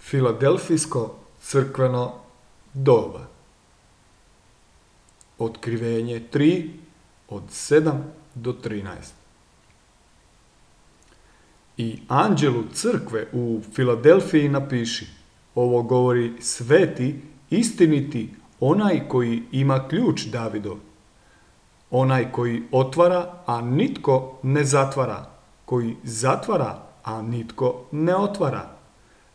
Filadelfijsko crkveno doba. Otkrivenje 3 od 7 do 13. I anđelu crkve u Filadelfiji napiši: ovo govori sveti, istiniti, onaj koji ima ključ Davidov. Onaj koji otvara, a nitko ne zatvara, koji zatvara, a nitko ne otvara.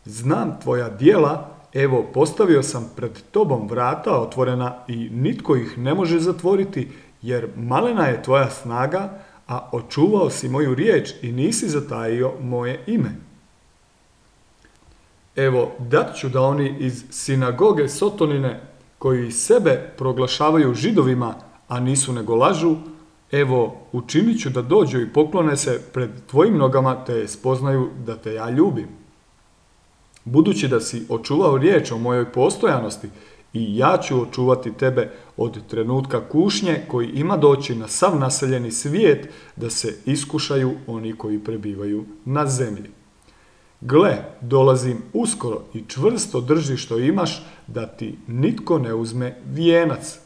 Znam tvoja djela, evo postavio sam pred tobom vrata otvorena i nitko ih ne može zatvoriti, jer malena je tvoja snaga, a očuvao si moju riječ i nisi zatajio moje ime. Evo, dat ću da oni iz sinagoge Sotonine, koji sebe proglašavaju Židovima, a nisu nego lažu, evo, učinit ću da dođu i poklone se pred tvojim nogama, te spoznaju da te ja ljubim. Budući da si očuvao riječ o mojoj postojanosti, i ja ću očuvati tebe od trenutka kušnje koji ima doći na sav naseljeni svijet, da se iskušaju oni koji prebivaju na zemlji. Gle, dolazim uskoro i čvrsto drži što imaš, da ti nitko ne uzme vijenac.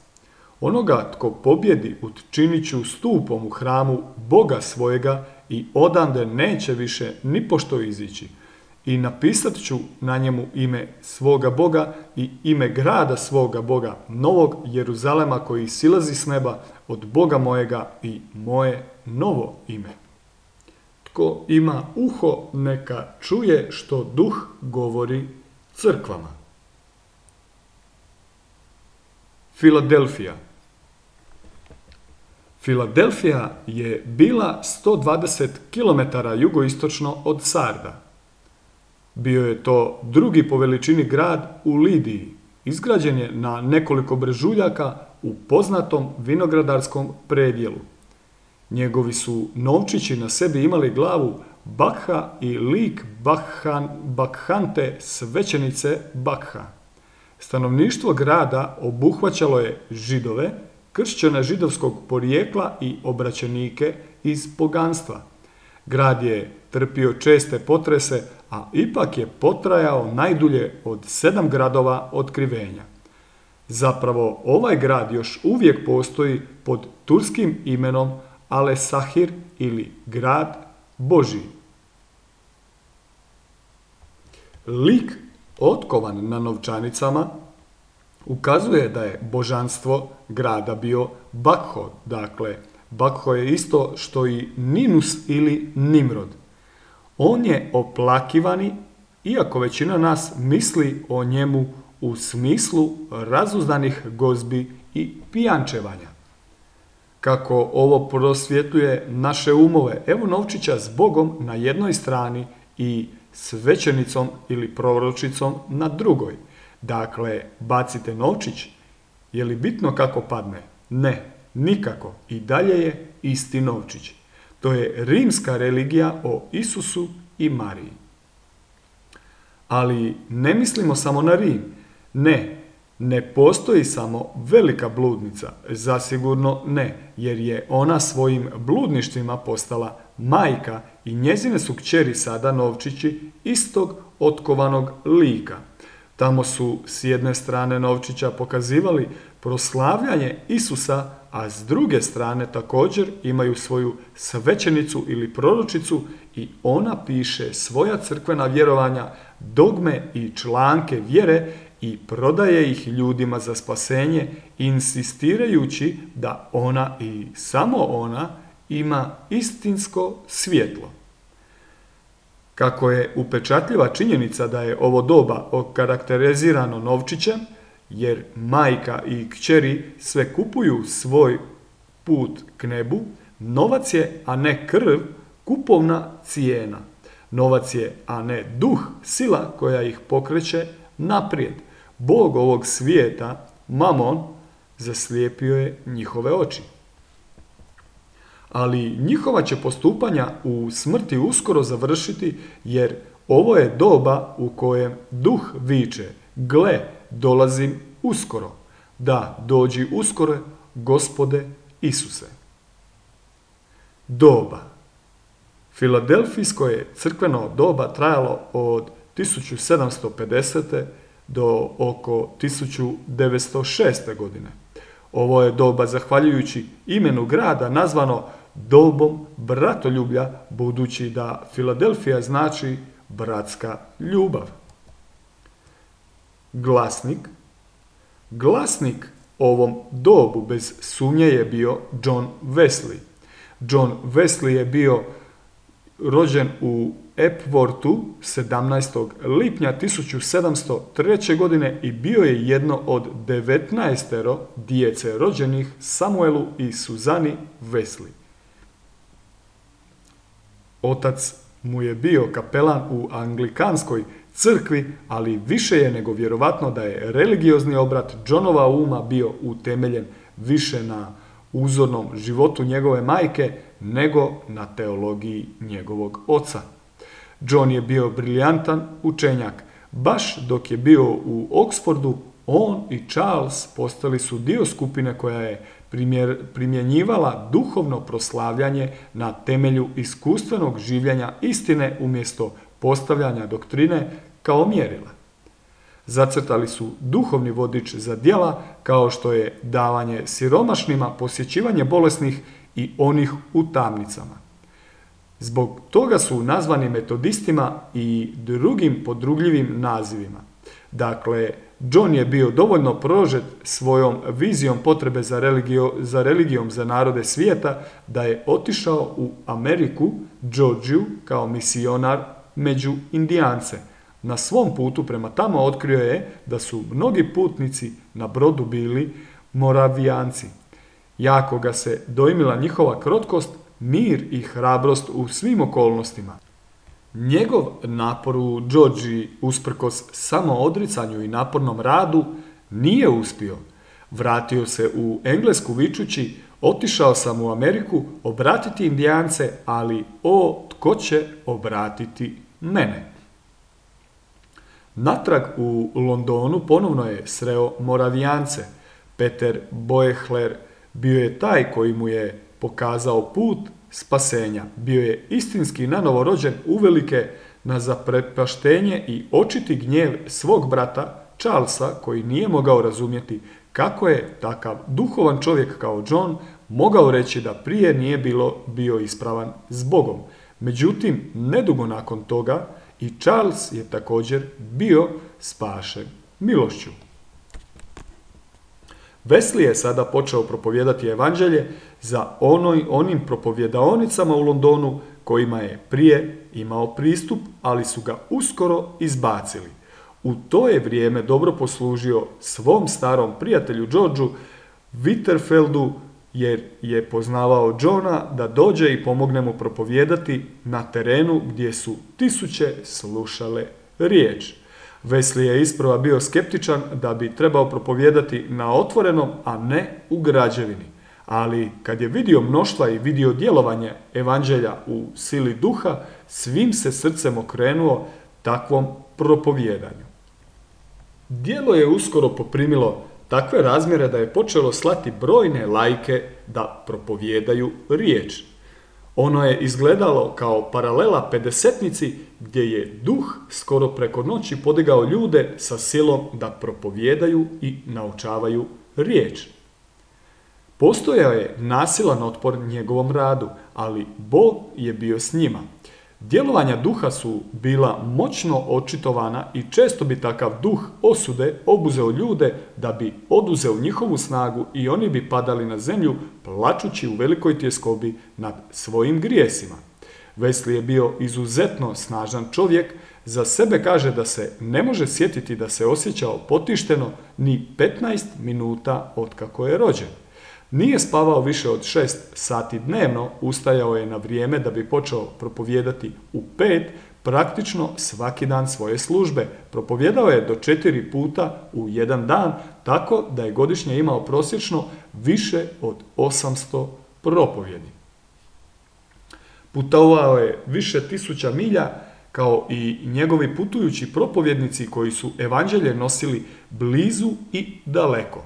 Onoga tko pobjedi učinit ću stupom u hramu Boga svojega i odande neće više ni pošto izići. I napisat ću na njemu ime svoga Boga i ime grada svoga Boga, Novog Jeruzalema koji silazi s neba od Boga mojega, i moje novo ime. Tko ima uho, neka čuje što Duh govori crkvama. Filadelfija. Filadelfija je bila 120 km jugoistočno od Sarda. Bio je to drugi po veličini grad u Lidiji. Izgrađen je na nekoliko brežuljaka u poznatom vinogradarskom predjelu. Njegovi su novčići na sebi imali glavu Bakha i lik Bakhante, svećenice Bakha. Stanovništvo grada obuhvaćalo je Židove, kršćane židovskog porijekla i obraćenike iz poganstva. Grad je trpio česte potrese, a ipak je potrajao najdulje od 7 gradova otkrivenja. Zapravo, ovaj grad još uvijek postoji pod turskim imenom Alesahir ili grad Božji. Lik otkovan na novčanicama ukazuje da je božanstvo grada bio Bakho, dakle, Bakho je isto što i Ninus ili Nimrod. On je oplakivani, iako većina nas misli o njemu u smislu razuzdanih gozbi i pijančevanja. Kako ovo prosvjetuje naše umove, evo novčića s Bogom na jednoj strani i svećenicom ili proročicom na drugoj. Dakle, bacite novčić. Je li bitno kako padne? Ne, nikako. I dalje je isti novčić. To je rimska religija o Isusu i Mariji. Ali ne mislimo samo na Rim. Ne postoji samo velika bludnica. Zasigurno ne, jer je ona svojim bludništvima postala majka i njezine su kćeri sada novčići istog otkovanog lika. Tamo su s jedne strane novčića pokazivali proslavljanje Isusa, a s druge strane također imaju svoju svećenicu ili proročicu i ona piše svoja crkvena vjerovanja, dogme i članke vjere i prodaje ih ljudima za spasenje, insistirajući da ona i samo ona ima istinsko svjetlo. Kako je upečatljiva činjenica da je ovo doba okarakterizirano novčićem, jer majka i kćeri sve kupuju svoj put k nebu, novac je, a ne krv, kupovna cijena. Novac je, a ne duh, sila koja ih pokreće naprijed. Bog ovog svijeta, Mamon, zaslijepio je njihove oči. Ali njihova će postupanja u smrti uskoro završiti, jer ovo je doba u kojem duh viče: gle, dolazim uskoro. Da, dođi uskoro, Gospode Isuse. Doba. Filadelfijsko je crkveno doba trajalo od 1750. do oko 1906. godine. Ovo je doba, zahvaljujući imenu grada, nazvano dobom bratoljublja, budući da Filadelfija znači bratska ljubav. Glasnik. Glasnik ovom dobu bez sumnje je bio John Wesley. John Wesley je bio rođen u Epworthu 17. lipnja 1703. godine i bio je jedno od 19 djece rođenih Samuelu i Suzani Wesley. Otac mu je bio kapelan u anglikanskoj crkvi, ali više je nego vjerovatno da je religiozni obrat Johnova uma bio utemeljen više na uzornom životu njegove majke nego na teologiji njegovog oca. John je bio briljantan učenjak. Baš dok je bio u Oxfordu, on i Charles postali su dio skupine koja je primjenjivala duhovno proslavljanje na temelju iskustvenog življenja istine umjesto postavljanja doktrine kao mjerila. Zacrtali su duhovni vodič za djela kao što je davanje siromašnima, posjećivanje bolesnih i onih u tamnicama. Zbog toga su nazvani metodistima i drugim podrugljivim nazivima. Dakle, John je bio dovoljno prožet svojom vizijom potrebe za religijom za narode svijeta da je otišao u Ameriku, Georgiju, kao misionar među Indijance. Na svom putu prema tamo otkrio je da su mnogi putnici na brodu bili Moravijanci. Jako ga se dojmila njihova krotkost, mir i hrabrost u svim okolnostima. Njegov napor u Georgiji, usprkos samoodricanju i napornom radu, nije uspio. Vratio se u Englesku vičući: otišao sam u Ameriku obratiti Indijance, ali tko će obratiti mene? Natrag u Londonu ponovno je sreo Moravijance. Peter Boehler bio je taj koji mu je pokazao put spasenja. Bio je istinski nanovo rođen uvelike na zaprepaštenje i očiti gnjev svog brata Charlesa, koji nije mogao razumjeti kako je takav duhovan čovjek kao John mogao reći da prije nije bio ispravan s Bogom. Međutim, nedugo nakon toga i Charles je također bio spašen milošću. Wesley je sada počeo propovijedati evanđelje za onim propovjedaonicama u Londonu kojima je prije imao pristup, ali su ga uskoro izbacili. U to je vrijeme dobro poslužio svom starom prijatelju Georgeu Winterfeldu, jer je poznavao Johna da dođe i pomogne mu propovijedati na terenu gdje su tisuće slušale riječ. Wesley je isprva bio skeptičan da bi trebao propovijedati na otvorenom, a ne u građevini. Ali kad je vidio mnoštva i vidio djelovanje evanđelja u sili duha, svim se srcem okrenuo takvom propovijedanju. Djelo je uskoro poprimilo takve razmjere da je počelo slati brojne laike da propovijedaju riječ. Ono je izgledalo kao paralela pedesetnici gdje je duh skoro preko noći podigao ljude sa silom da propovijedaju i naučavaju riječ. Postojao je nasilan otpor njegovom radu, ali Bog je bio s njima. Djelovanja duha su bila moćno očitovana i često bi takav duh osude obuzeo ljude da bi oduzeo njihovu snagu i oni bi padali na zemlju plačući u velikoj tjeskobi nad svojim grijesima. Wesley je bio izuzetno snažan čovjek, za sebe kaže da se ne može sjetiti da se osjećao potišteno ni 15 minuta otkako je rođen. Nije spavao više od 6 sati dnevno, ustajao je na vrijeme da bi počeo propovijedati u 5, praktično svaki dan svoje službe. Propovijedao je do 4 puta u jedan dan, tako da je godišnje imao prosječno više od 800 propovjedi. Putovao je više tisuća milja, kao i njegovi putujući propovjednici koji su evanđelje nosili blizu i daleko.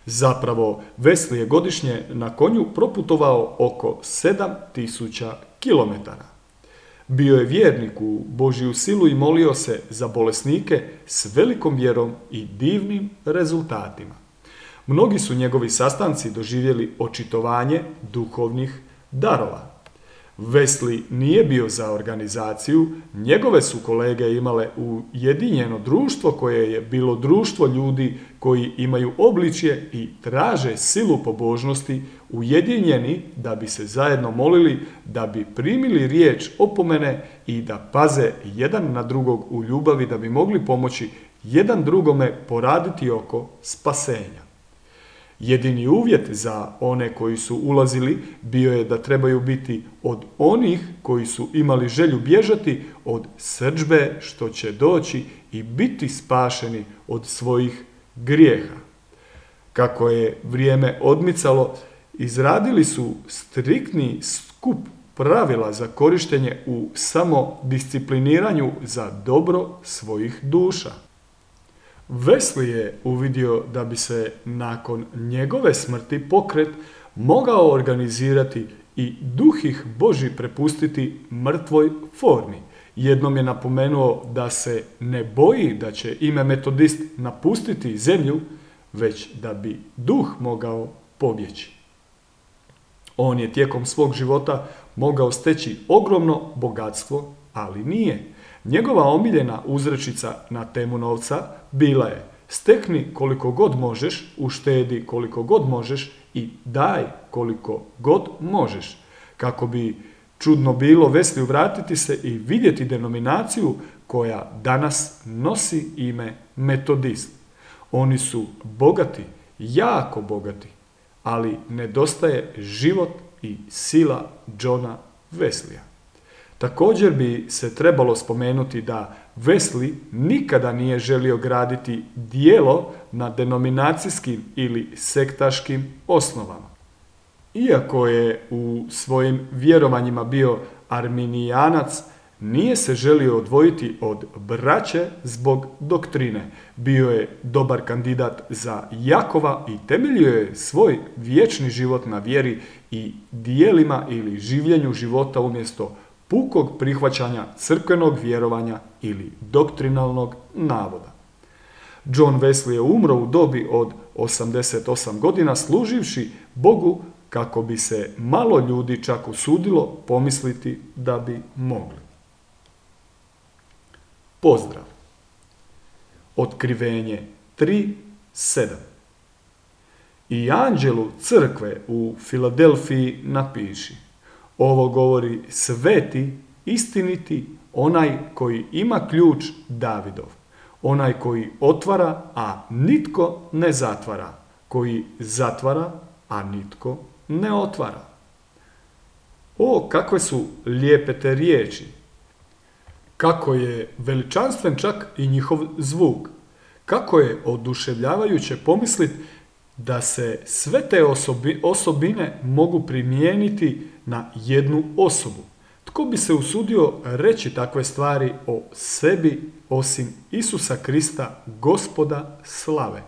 Zapravo, Wesley je godišnje na konju proputovao oko 7000 km. Bio je vjernik u Božju silu i molio se za bolesnike s velikom vjerom i divnim rezultatima. Mnogi su njegovi sastanci doživjeli očitovanje duhovnih darova. Wesley nije bio za organizaciju, njegove su kolege imale ujedinjeno društvo koje je bilo društvo ljudi koji imaju obličje i traže silu pobožnosti, ujedinjeni da bi se zajedno molili, da bi primili riječ opomene i da paze jedan na drugog u ljubavi da bi mogli pomoći jedan drugome poraditi oko spasenja. Jedini uvjet za one koji su ulazili bio je da trebaju biti od onih koji su imali želju bježati od srdžbe što će doći i biti spašeni od svojih grijeha. Kako je vrijeme odmicalo, izradili su striktni skup pravila za korištenje u samodiscipliniranju za dobro svojih duša. Wesley je uvidio da bi se nakon njegove smrti pokret mogao organizirati i duh ih Božji prepustiti mrtvoj formi. Jednom je napomenuo da se ne boji da će ime metodist napustiti zemlju, već da bi duh mogao pobjeći. On je tijekom svog života mogao steći ogromno bogatstvo, ali nije. Njegova omiljena uzrečica na temu novca bila je: stekni koliko god možeš, uštedi koliko god možeš i daj koliko god možeš. Kako bi čudno bilo Wesliju vratiti se i vidjeti denominaciju koja danas nosi ime metodist. Oni su bogati, jako bogati, ali nedostaje život i sila Johna Wesleya. Također bi se trebalo spomenuti da Wesley nikada nije želio graditi djelo na denominacijskim ili sektaškim osnovama. Iako je u svojim vjerovanjima bio arminijanac, nije se želio odvojiti od braće zbog doktrine. Bio je dobar kandidat za Jakova i temeljio je svoj vječni život na vjeri i dijelima ili življenju života umjesto pukog prihvaćanja crkvenog vjerovanja ili doktrinalnog navoda. John Wesley je umro u dobi od 88 godina služivši Bogu kako bi se malo ljudi čak usudilo pomisliti da bi mogli. Pozdrav. Otkrivenje 3.7. I anđelu crkve u Filadelfiji napiši: ovo govori sveti, istiniti, onaj koji ima ključ Davidov, onaj koji otvara, a nitko ne zatvara, koji zatvara, a nitko ne otvara. O, kakve su lijepe te riječi! Kako je veličanstven čak i njihov zvuk! Kako je oduševljavajuće pomisliti da se sve te osobine mogu primijeniti na jednu osobu. Tko bi se usudio reći takve stvari o sebi osim Isusa Krista, Gospoda slave?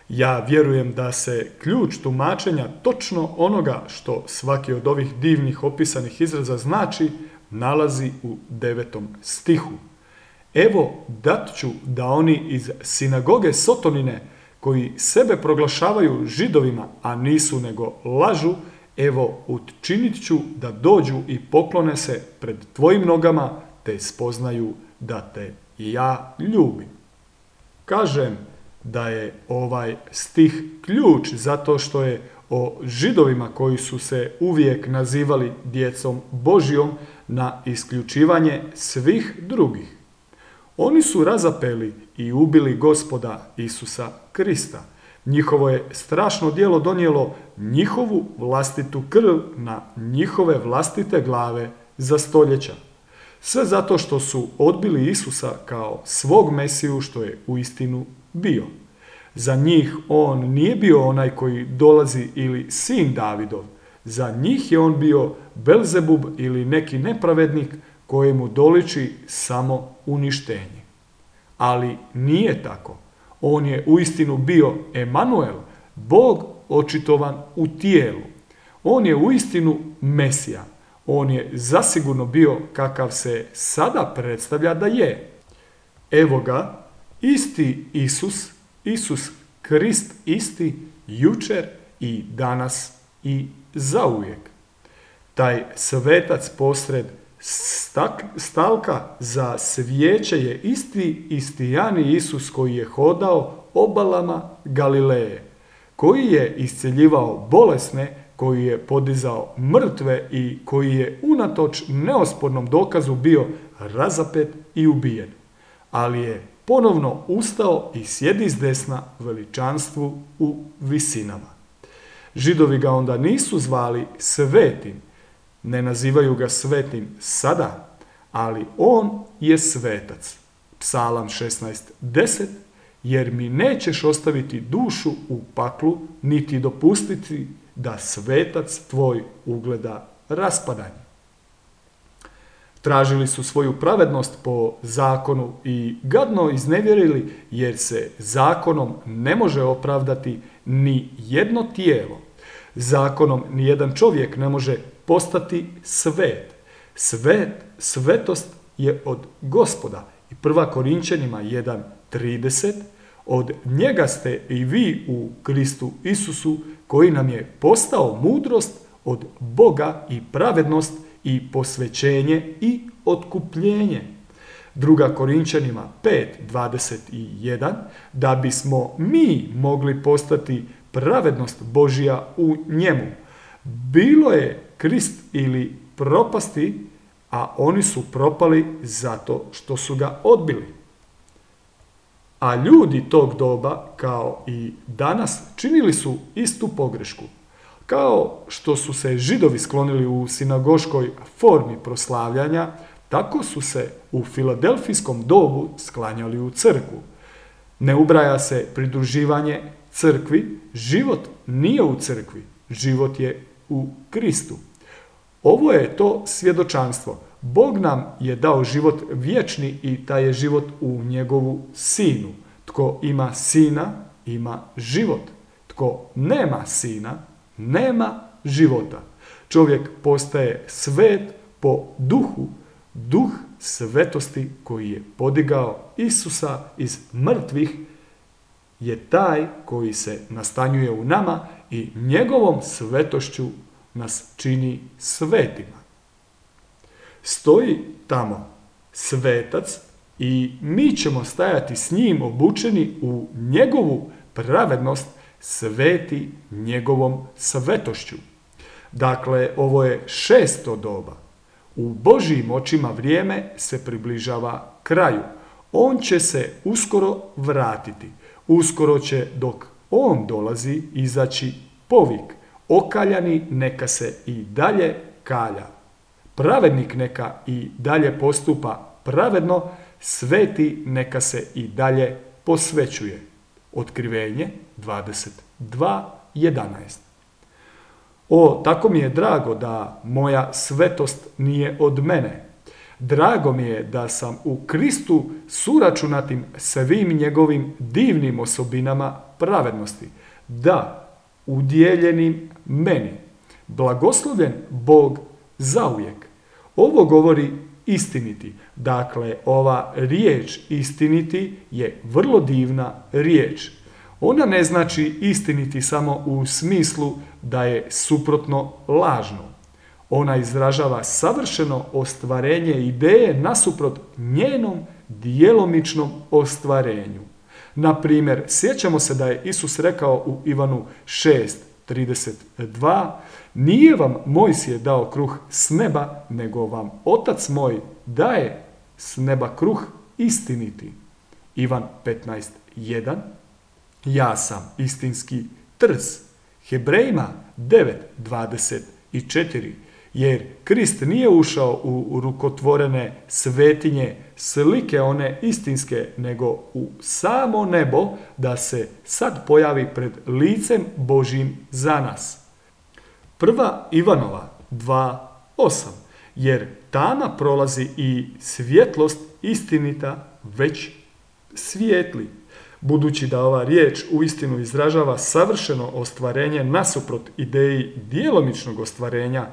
Ja vjerujem da se ključ tumačenja točno onoga što svaki od ovih divnih opisanih izraza znači nalazi u 9. stihu. Evo dat ću da oni iz sinagoge Sotonine, koji sebe proglašavaju Židovima, a nisu nego lažu, evo učinit ću da dođu i poklone se pred tvojim nogama, te spoznaju da te ja ljubim. Kažem da je ovaj stih ključ zato što je o Židovima koji su se uvijek nazivali djecom Božjom na isključivanje svih drugih. Oni su razapeli i ubili Gospoda Isusa Krista. Njihovo je strašno djelo donijelo njihovu vlastitu krv na njihove vlastite glave za stoljeća. Sve zato što su odbili Isusa kao svog Mesiju što je uistinu bio. Za njih on nije bio onaj koji dolazi ili sin Davidov. Za njih je on bio Belzebub ili neki nepravednik kojemu doliči samo uništenje. Ali nije tako. On je uistinu bio Emanuel, Bog očitovan u tijelu. On je uistinu Mesija. On je zasigurno bio kakav se sada predstavlja da je. Evo ga, isti Isus, Isus Krist isti, jučer i danas i zauvijek. Taj svetac posred stalka za svijeće je isti istijani Isus koji je hodao obalama Galileje, koji je isceljivao bolesne, koji je podizao mrtve i koji je unatoč neospornom dokazu bio razapet i ubijen. Ali je ponovno ustao i sjedi zdesna veličanstvu u visinama. Židovi ga onda nisu zvali svetim, ne nazivaju ga svetim sada, ali on je svetac. Psalam 16:10, jer mi nećeš ostaviti dušu u paklu, niti dopustiti da svetac tvoj ugleda raspadanje. Tražili su svoju pravednost po zakonu i gadno iznevjerili, jer se zakonom ne može opravdati ni jedno tijelo. Zakonom ni jedan čovjek ne može postati svet. Svetost je od Gospoda. I 1. Korinćanima 1:30, od njega ste i vi u Kristu Isusu, koji nam je postao mudrost od Boga i pravednost i posvećenje i otkupljenje. 2. Korinćanima 5:21, da bismo mi mogli postati pravednost Božja u njemu. Bilo je Krist ili propasti, a oni su propali zato što su ga odbili. A ljudi tog doba, kao i danas, činili su istu pogrešku. Kao što su se Židovi sklonili u sinagoškoj formi proslavljanja, tako su se u filadelfijskom dobu sklanjali u crkvu. Ne ubraja se pridruživanje crkvi, život nije u crkvi, život je u Kristu. Ovo je to svjedočanstvo. Bog nam je dao život vječni i taj je život u njegovu sinu. Tko ima sina, ima život. Tko nema sina, nema života. Čovjek postaje svet po duhu, duh svetosti koji je podigao Isusa iz mrtvih je taj koji se nastanjuje u nama i njegovom svetošću nas čini svetima. Stoji tamo svetac i mi ćemo stajati s njim obučeni u njegovu pravednost, sveti njegovom svetošću. Dakle, ovo je 6. doba. U Božjim očima vrijeme se približava kraju. On će se uskoro vratiti. Uskoro će, dok on dolazi, izaći povik. Okaljani neka se i dalje kalja. Pravednik neka i dalje postupa pravedno, sveti neka se i dalje posvećuje. Otkrivenje 22:11. O, tako mi je drago da moja svetost nije od mene. Drago mi je da sam u Kristu suračunatim svim njegovim divnim osobinama pravednosti. Da, udjeljenim meni. Blagoslovljen Bog zauvijek. Ovo govori istiniti. Dakle, ova riječ istiniti je vrlo divna riječ. Ona ne znači istiniti samo u smislu da je suprotno lažno. Ona izražava savršeno ostvarenje ideje nasuprot njenom djelomičnom ostvarenju. Na primjer, sjećamo se da je Isus rekao u Ivanu 6:32, nije vam Mojsije dao kruh s neba, nego vam Otac moj daje s neba kruh istiniti. Ivan 15:1, ja sam istinski trs. Hebrejima 9:24, jer Krist nije ušao u rukotvorene svetinje, slike one istinske, nego u samo nebo, da se sad pojavi pred licem Božjim za nas. 1. Ivanova 2:8, jer tama prolazi i svjetlost istinita već svijetli. Budući da ova riječ uistinu izražava savršeno ostvarenje nasuprot ideji djelomičnog ostvarenja,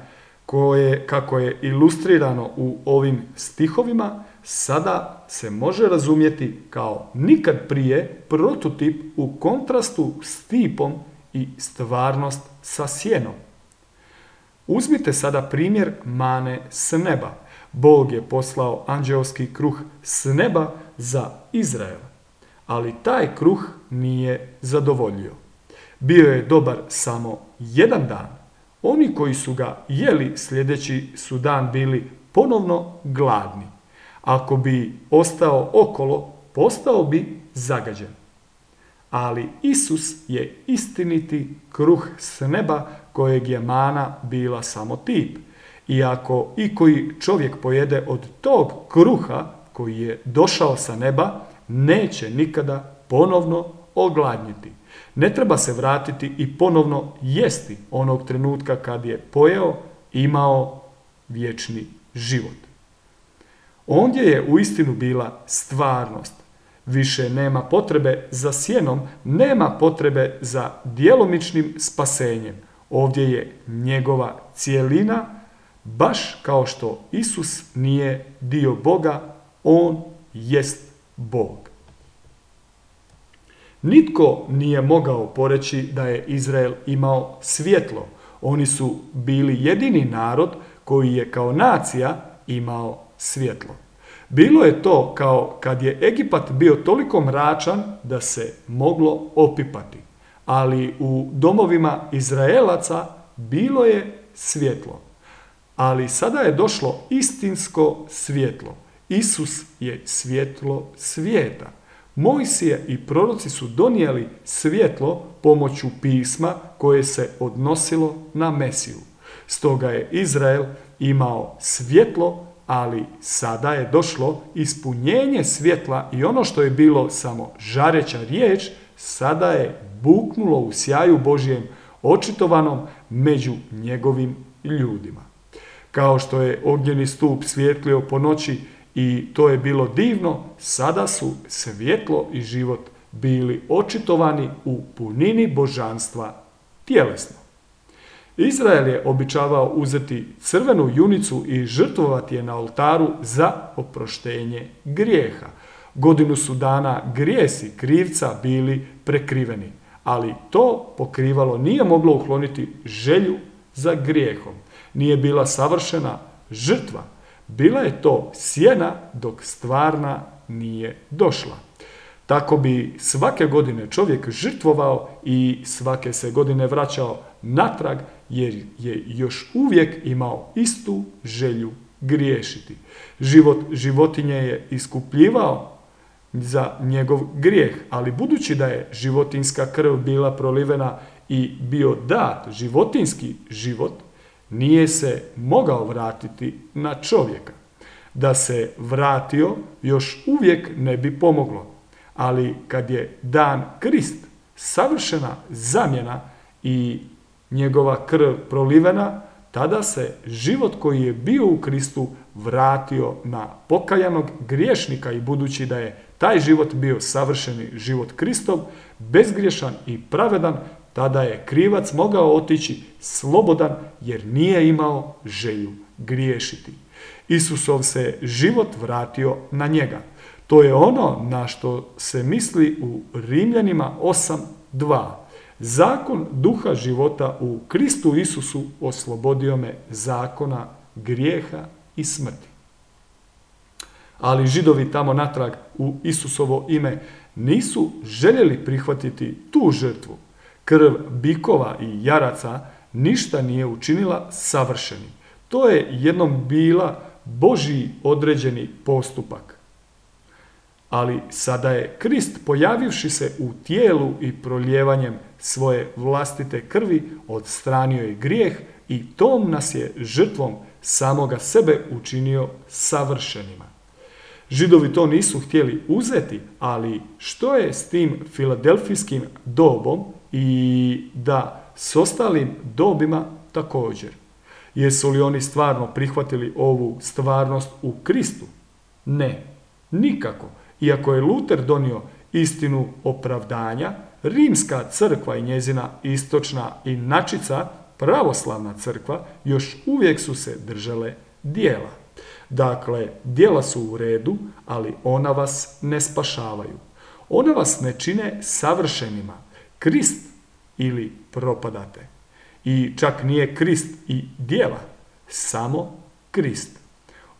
kako je ilustrirano u ovim stihovima, sada se može razumjeti kao nikad prije prototip u kontrastu s tipom i stvarnost sa sjenom. Uzmite sada primjer mane s neba. Bog je poslao anđeoski kruh s neba za Izrael, ali taj kruh nije zadovoljio. Bio je dobar samo jedan dan. Oni koji su ga jeli sljedeći su dan bili ponovno gladni. Ako bi ostao okolo, postao bi zagađen. Ali Isus je istiniti kruh s neba kojeg je mana bila samo tip. I ako ikoji čovjek pojede od tog kruha koji je došao sa neba, neće nikada ponovno ogladnjeti. Ne treba se vratiti i ponovno jesti onog trenutka kad je pojeo, imao vječni život. Ondje je uistinu bila stvarnost. Više nema potrebe za sjenom, nema potrebe za djelomičnim spasenjem. Ovdje je njegova cijelina, baš kao što Isus nije dio Boga, on jest Bog. Nitko nije mogao poreći da je Izrael imao svjetlo. Oni su bili jedini narod koji je kao nacija imao svjetlo. Bilo je to kao kad je Egipat bio toliko mračan da se moglo opipati. Ali u domovima Izraelaca bilo je svjetlo. Ali sada je došlo istinsko svjetlo. Isus je svjetlo svijeta. Mojsije i proroci su donijeli svjetlo pomoću pisma koje se odnosilo na Mesiju. Stoga je Izrael imao svjetlo, ali sada je došlo ispunjenje svjetla i ono što je bilo samo žareća riječ, sada je buknulo u sjaju Božjem očitovanom među njegovim ljudima. Kao što je ognjeni stup svjetlio po noći i to je bilo divno, sada su svjetlo i život bili očitovani u punini božanstva tjelesno. Izrael je običavao uzeti crvenu junicu i žrtvovati je na oltaru za oproštenje grijeha. Godinu su dana grijesi krivca bili prekriveni, ali to pokrivalo nije moglo ukloniti želju za grijehom. Nije bila savršena žrtva. Bila je to sjena dok stvarna nije došla. Tako bi svake godine čovjek žrtvovao i svake se godine vraćao natrag jer je još uvijek imao istu želju griješiti. Život životinje je iskupljivao za njegov grijeh, ali budući da je životinjska krv bila prolivena i bio dat životinjski život, nije se mogao vratiti na čovjeka. Da se vratio, još uvijek ne bi pomoglo. Ali kad je dan Krist, savršena zamjena i njegova krv prolivena, tada se život koji je bio u Kristu vratio na pokajanog griješnika i budući da je taj život bio savršeni život Kristov, bezgriješan i pravedan, tada je krivac mogao otići slobodan jer nije imao želju griješiti. Isusov se život vratio na njega. To je ono na što se misli u Rimljanima 8.2. Zakon duha života u Kristu Isusu oslobodio me zakona grijeha i smrti. Ali Židovi tamo natrag u Isusovo ime nisu željeli prihvatiti tu žrtvu. Krv bikova i jaraca ništa nije učinila savršenim. To je jednom bila Božji određeni postupak. Ali sada je Krist, pojavivši se u tijelu i prolijevanjem svoje vlastite krvi, odstranio je grijeh i tom nas je žrtvom samoga sebe učinio savršenima. Židovi to nisu htjeli uzeti, ali što je s tim filadelfijskim dobom i da s ostalim dobima također? Jesu li oni stvarno prihvatili ovu stvarnost u Kristu? Ne, nikako. Iako je Luter donio istinu opravdanja, Rimska crkva i njezina istočna inačica pravoslavna crkva još uvijek su se držale djela. Dakle, djela su u redu, ali ona vas ne spašavaju. Ona vas ne čine savršenima. Krist ili propadate. I čak nije Krist i djela, samo Krist.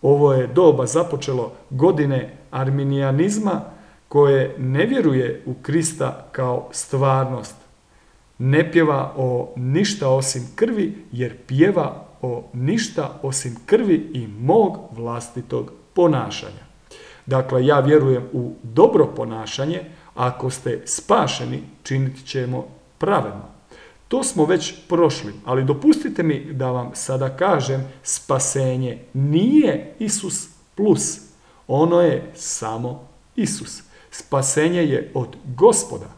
Ovo je doba započelo godine arminijanizma koje ne vjeruje u Krista kao stvarnost. Ne pjeva o ništa osim krvi, jer pjeva o ništa osim krvi i mog vlastitog ponašanja. Dakle, ja vjerujem u dobro ponašanje, ako ste spašeni, činit ćemo pravedno. To smo već prošli, ali dopustite mi da vam sada kažem, spasenje nije Isus plus, ono je samo Isus. Spasenje je od Gospoda,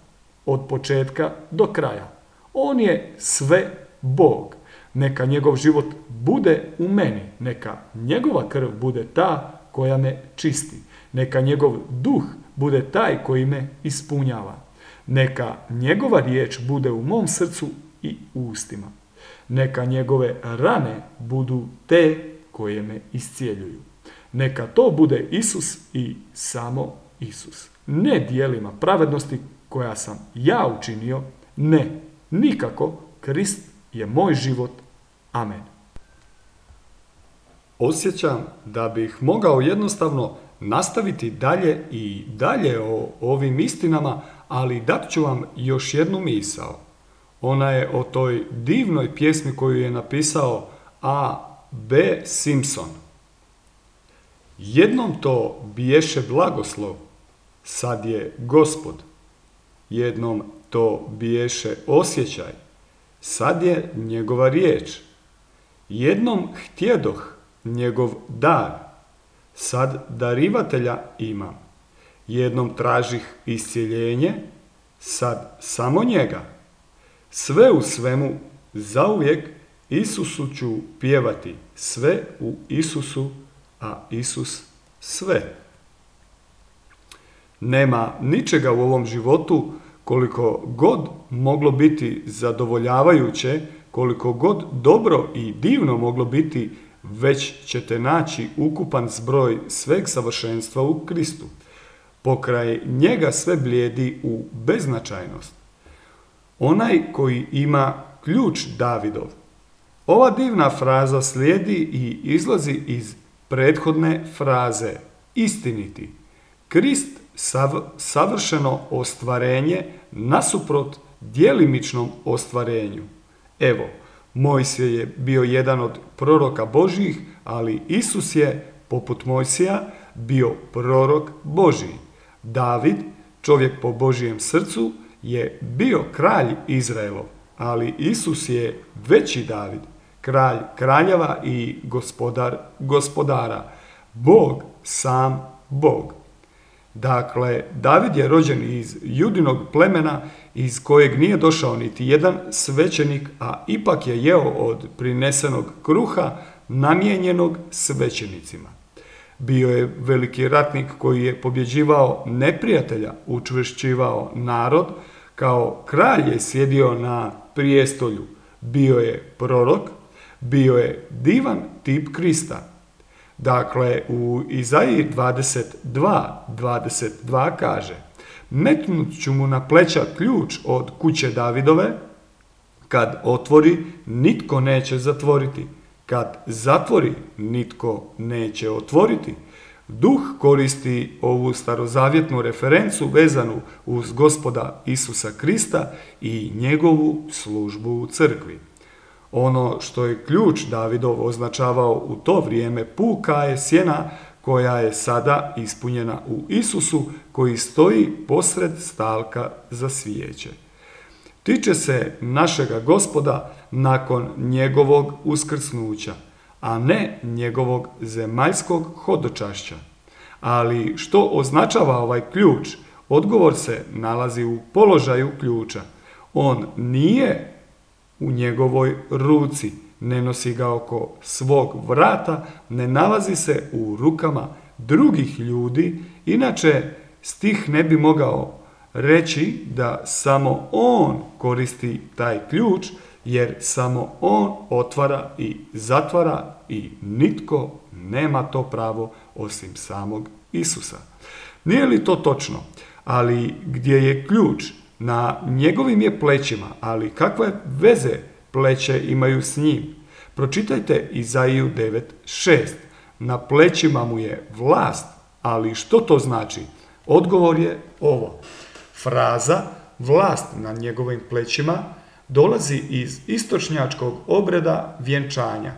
od početka do kraja. On je sve Bog. Neka njegov život bude u meni, neka njegova krv bude ta koja me čisti. Neka njegov duh bude taj koji me ispunjava. Neka njegova riječ bude u mom srcu i ustima. Neka njegove rane budu te koje me iscijeljuju. Neka to bude Isus i samo Isus. Ne djelima pravednosti koja sam ja učinio, ne, nikako, Krist je moj život. Amen. Osjećam da bih mogao jednostavno nastaviti dalje i dalje o ovim istinama, ali dat ću vam još jednu misao. Ona je o toj divnoj pjesmi koju je napisao A. B. Simpson. Jednom to biješe blagoslov, sad je Gospod. Jednom to biješe osjećaj, sad je njegova riječ. Jednom htjedoh njegov dar, sad darivatelja imam. Jednom tražih iscjeljenje, sad samo njega. Sve u svemu, zauvijek Isusu ću pjevati, sve u Isusu, a Isus sve. Nema ničega u ovom životu koliko god moglo biti zadovoljavajuće, koliko god dobro i divno moglo biti, već ćete naći ukupan zbroj sveg savršenstva u Kristu. Pokraj njega sve blijedi u beznačajnost. Onaj koji ima ključ Davidov. Ova divna fraza slijedi i izlazi iz prethodne fraze istiniti. Krist savršeno ostvarenje nasuprot djelimičnom ostvarenju. Evo, Mojsije je bio jedan od proroka Božjih, ali Isus je, poput Mojsija, bio prorok Božji. David, čovjek po Božjem srcu, je bio kralj Izraelov, ali Isus je veći David, kralj kraljeva i gospodar gospodara, Bog, sam Bog. Dakle, David je rođen iz Judinog plemena iz kojeg nije došao niti jedan svećenik, a ipak je jeo od prinesenog kruha namijenjenog svećenicima. Bio je veliki ratnik koji je pobjeđivao neprijatelja, učvršćivao narod, kao kralj je sjedio na prijestolju. Bio je prorok, bio je divan tip Krista. Dakle, u Izaiji 22 kaže: metnut ću mu na pleća ključ od kuće Davidove, kad otvori, nitko neće zatvoriti, kad zatvori, nitko neće otvoriti. Duh koristi ovu starozavjetnu referencu vezanu uz Gospoda Isusa Krista i njegovu službu u crkvi. Ono što je ključ Davidov označavao u to vrijeme puka je sjena koja je sada ispunjena u Isusu koji stoji posred stalka za svijeće. Tiče se našega Gospoda nakon njegovog uskrsnuća, a ne njegovog zemaljskog hodočašća. Ali što označava ovaj ključ? Odgovor se nalazi u položaju ključa. On nije u njegovoj ruci, ne nosi ga oko svog vrata, ne nalazi se u rukama drugih ljudi, inače stih ne bi mogao reći da samo on koristi taj ključ, jer samo on otvara i zatvara i nitko nema to pravo osim samog Isusa. Nije li to točno? Ali gdje je ključ? Na njegovim je plećima, ali kakve veze pleće imaju s njim? Pročitajte Izaiju 9.6. Na plećima mu je vlast, ali što to znači? Odgovor je ovo. Fraza vlast na njegovim plećima dolazi iz istočnjačkog obreda vjenčanja.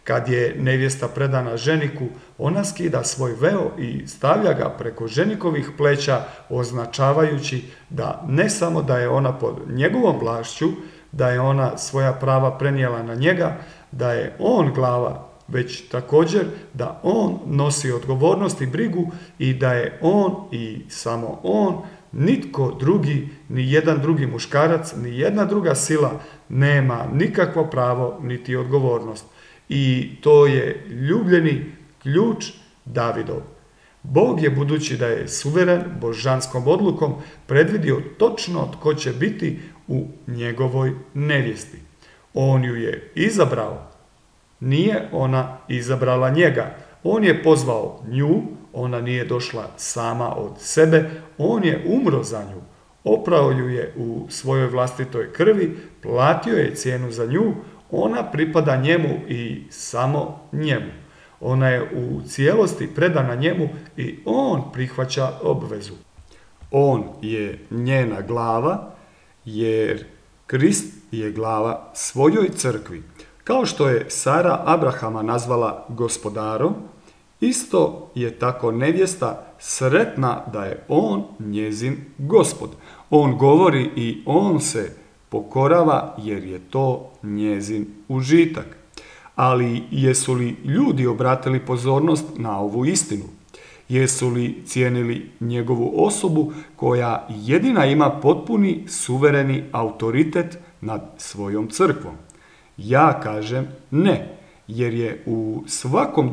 Kad je nevjesta predana ženiku, ona skida svoj veo i stavlja ga preko ženikovih pleća, označavajući da ne samo da je ona pod njegovom vlašću, da je ona svoja prava prenijela na njega, da je on glava, već također da on nosi odgovornost i brigu i da je on i samo on, nitko drugi, ni jedan drugi muškarac, ni jedna druga sila nema nikakvo pravo niti odgovornost. I to je ljubljeni ključ Davidov. Bog je, budući da je suveren, božanskom odlukom predvidio točno tko će biti u njegovoj nevjesti. On ju je izabrao. Nije ona izabrala njega. On je pozvao nju, ona nije došla sama od sebe, on je umro za nju. Oprao ju je u svojoj vlastitoj krvi, platio je cijenu za nju, ona pripada njemu i samo njemu. Ona je u cijelosti predana njemu i on prihvaća obvezu. On je njena glava, jer Krist je glava svojoj crkvi. Kao što je Sara Abrahama nazvala gospodarom, isto je tako nevjesta sretna da je on njezin gospod. On govori i on se pokorava jer je to njezin užitak. Ali jesu li ljudi obratili pozornost na ovu istinu? Jesu li cijenili njegovu osobu koja jedina ima potpuni suvereni autoritet nad svojom crkvom? Ja kažem ne, jer je u svakom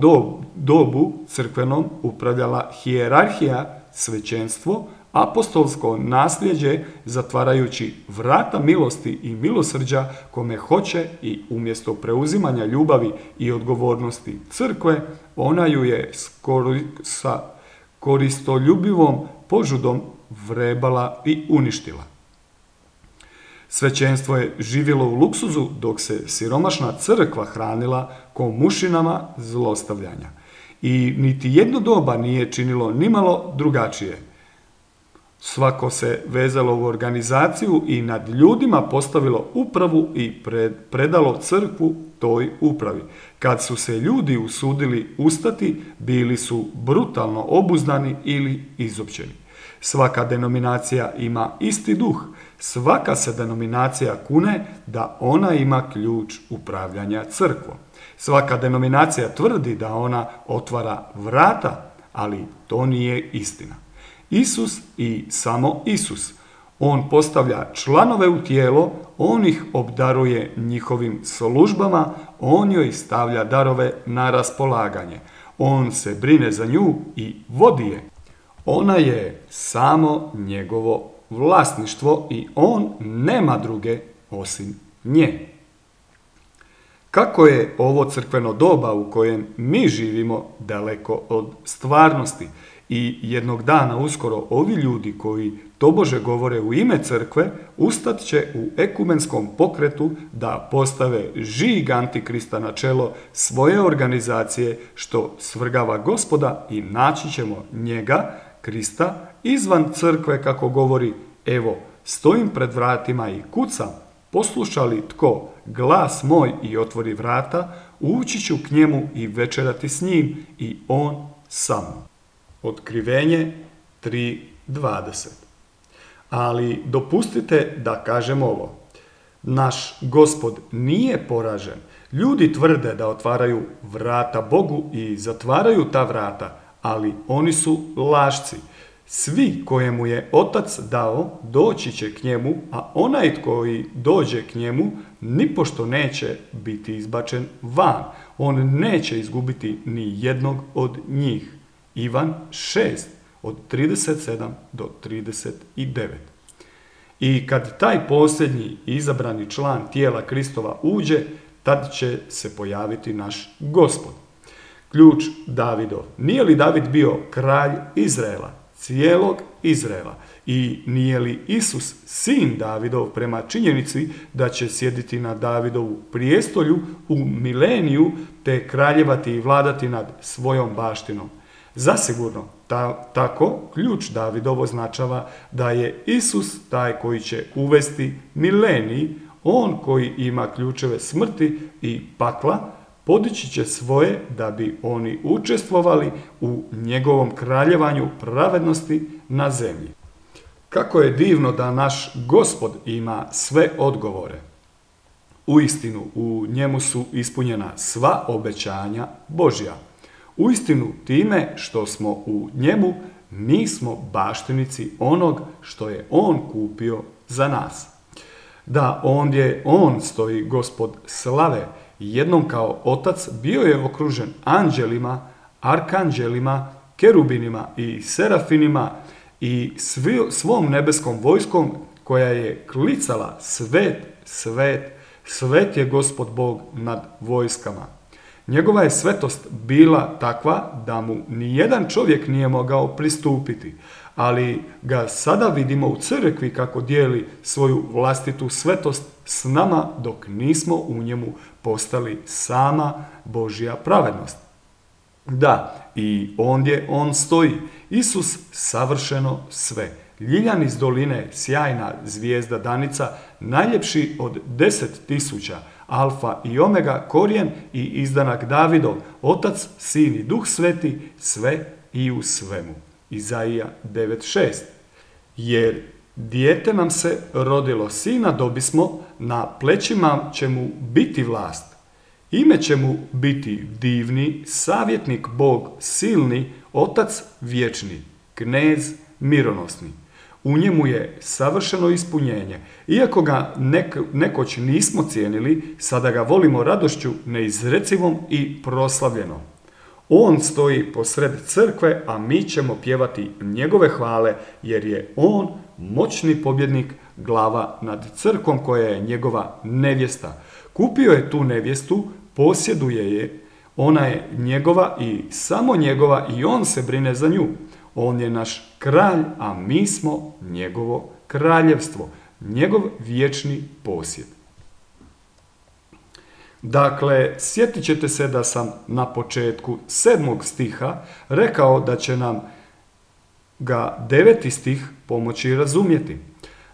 dobu crkvenom upravljala hijerarhija, svećenstvo, apostolsko nasljeđe, zatvarajući vrata milosti i milosrđa kome hoće i umjesto preuzimanja ljubavi i odgovornosti crkve, ona ju je sa koristoljubivom požudom vrebala i uništila. Svećenstvo je živjelo u luksuzu dok se siromašna crkva hranila komušinama zlostavljanja. I niti jedno doba nije činilo nimalo drugačije. Svako se vezalo u organizaciju i nad ljudima postavilo upravu i predalo crkvu toj upravi. Kad su se ljudi usudili ustati, bili su brutalno obuzdani ili izopćeni. Svaka denominacija ima isti duh. Svaka se denominacija kune da ona ima ključ upravljanja crkvom. Svaka denominacija tvrdi da ona otvara vrata, ali to nije istina. Isus i samo Isus. On postavlja članove u tijelo, on ih obdaruje njihovim službama, on joj stavlja darove na raspolaganje. On se brine za nju i vodi je. Ona je samo njegovo vlasništvo i on nema druge osim nje. Kako je ovo crkveno doba u kojem mi živimo daleko od stvarnosti i jednog dana uskoro ovi ljudi koji tobože govore u ime crkve ustat će u ekumenskom pokretu da postave žig Antikrista na čelo svoje organizacije što svrgava Gospoda i naći ćemo njega, Krista, izvan crkve kako govori: evo, stojim pred vratima i kucam, posluša li tko glas moj i otvori vrata, ući ću k njemu i večerati s njim i on sa mnom. Otkrivenje 3.20. Ali dopustite da kažem ovo. Naš Gospod nije poražen. Ljudi tvrde da otvaraju vrata Bogu i zatvaraju ta vrata, ali oni su lašci. Svi kojemu je Otac dao doći će k njemu, a onaj koji dođe k njemu nipošto neće biti izbačen van. On neće izgubiti ni jednog od njih. Ivan 6, od 37 do 39. I kad taj posljednji izabrani član tijela Kristova uđe, tad će se pojaviti naš Gospod. Ključ Davidov. Nije li David bio kralj Izraela, cijelog Izraela? I nije li Isus sin Davidov prema činjenici da će sjediti na Davidovu prijestolju u mileniju te kraljevati i vladati nad svojom baštinom? Zasigurno, tako ključ Davidov označava da je Isus taj koji će uvesti milenij, on koji ima ključeve smrti i pakla, podići će svoje da bi oni učestvovali u njegovom kraljevanju pravednosti na zemlji. Kako je divno da naš Gospod ima sve odgovore. Uistinu, u njemu su ispunjena sva obećanja Božja. Uistinu, time što smo u njemu, mi smo baštinici onog što je on kupio za nas. Da, ondje on stoji Gospod slave, jednom kao otac bio je okružen anđelima, arkanđelima, kerubinima i serafinima i svom nebeskom vojskom koja je klicala svet, svet, svet je Gospod Bog nad vojskama. Njegova je svetost bila takva da mu nijedan čovjek nije mogao pristupiti, ali ga sada vidimo u crkvi kako dijeli svoju vlastitu svetost s nama dok nismo u njemu postali sama Božja pravednost. Da, i ondje on stoji, Isus savršeno sve. Ljiljan iz doline, sjajna zvijezda danica, najljepši od 10.000, alfa i omega, korijen i izdanak Davidov, otac, sin i duh sveti, sve i u svemu. Izaija 9.6. Jer dijete nam se rodilo, sina dobismo, na plećima će mu biti vlast. Ime će mu biti divni, savjetnik Bog silni, otac vječni, knez mironosni. U njemu je savršeno ispunjenje. Iako ga nekoć nismo cijenili, sada ga volimo radošću neizrecivom i proslavljenom. On stoji posred crkve, a mi ćemo pjevati njegove hvale, jer je on moćni pobjednik, glava nad crkvom koja je njegova nevjesta. Kupio je tu nevjestu, posjeduje je, ona je njegova i samo njegova i on se brine za nju. On je naš kralj, a mi smo njegovo kraljevstvo, njegov vječni posjed. Dakle, sjetit ćete se da sam na početku 7. stiha rekao da će nam ga 9. stih pomoći razumjeti.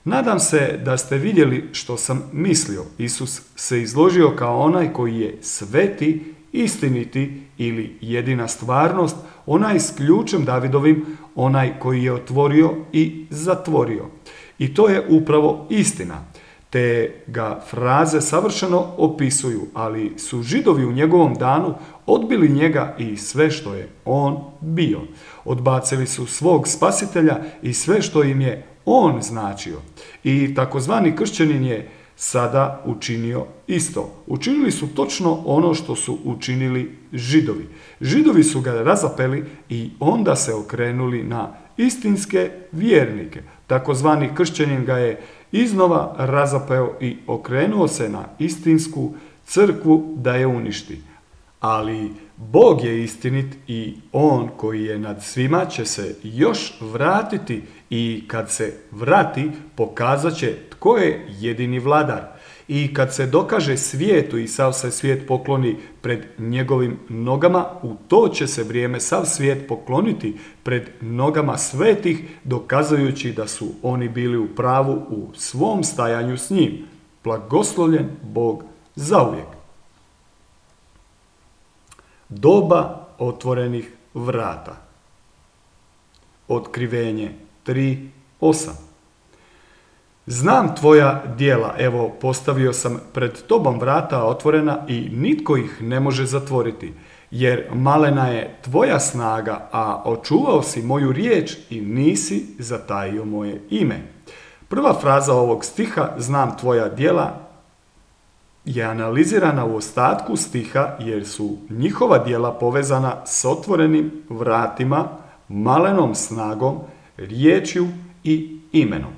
Nadam se da ste vidjeli što sam mislio. Isus se izložio kao onaj koji je sveti, istiniti ili jedina stvarnost, onaj s ključem Davidovim, onaj koji je otvorio i zatvorio. I to je upravo istina. Te ga fraze savršeno opisuju, ali su Židovi u njegovom danu odbili njega i sve što je on bio. Odbacili su svog spasitelja i sve što im je on značio. I takozvani kršćanin je sada učinio isto. Učinili su točno ono što su učinili Židovi. Židovi su ga razapeli i onda se okrenuli na istinske vjernike. Takozvani kršćanin ga je iznova razapeo i okrenuo se na istinsku crkvu da je uništi. Ali Bog je istinit i on koji je nad svima će se još vratiti i kad se vrati pokazat će tko je jedini vladar. I kad se dokaže svijetu i sav se svijet pokloni pred njegovim nogama, u to će se vrijeme sav svijet pokloniti pred nogama svetih, dokazujući da su oni bili u pravu u svom stajanju s njim. Blagoslovljen Bog zauvijek. Doba otvorenih vrata. Otkrivenje 3.8. Znam tvoja djela, evo postavio sam pred tobom vrata otvorena i nitko ih ne može zatvoriti, jer malena je tvoja snaga, a očuvao si moju riječ i nisi zatajio moje ime. Prva fraza ovog stiha, znam tvoja djela, je analizirana u ostatku stiha jer su njihova djela povezana s otvorenim vratima, malenom snagom, riječju i imenom.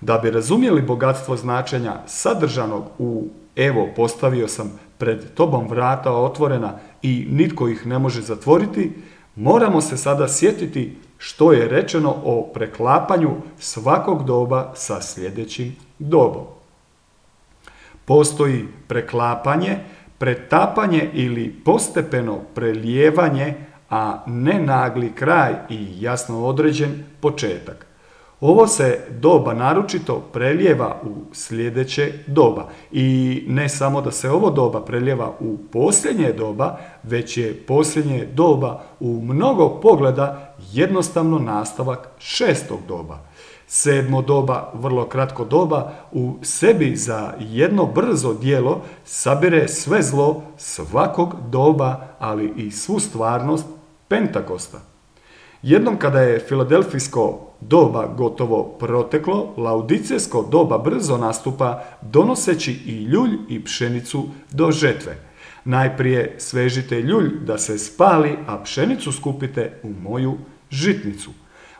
Da bi razumjeli bogatstvo značenja sadržanog u evo postavio sam pred tobom vrata otvorena i nitko ih ne može zatvoriti, moramo se sada sjetiti što je rečeno o preklapanju svakog doba sa sljedećim dobom. Postoji preklapanje, pretapanje ili postepeno prelijevanje, a ne nagli kraj i jasno određen početak. Ovo se doba naročito preljeva u sljedeće doba i ne samo da se ovo doba preljeva u posljednje doba, već je posljednje doba u mnogo pogleda jednostavno nastavak šestog doba. Sedmo doba, vrlo kratko doba, u sebi za jedno brzo djelo sabire sve zlo svakog doba, ali i svu stvarnost Pentakosta. Jednom kada je filadelfijsko doba gotovo proteklo, laudicejsko doba brzo nastupa donoseći i ljulj i pšenicu do žetve. Najprije svežite ljulj da se spali, a pšenicu skupite u moju žitnicu.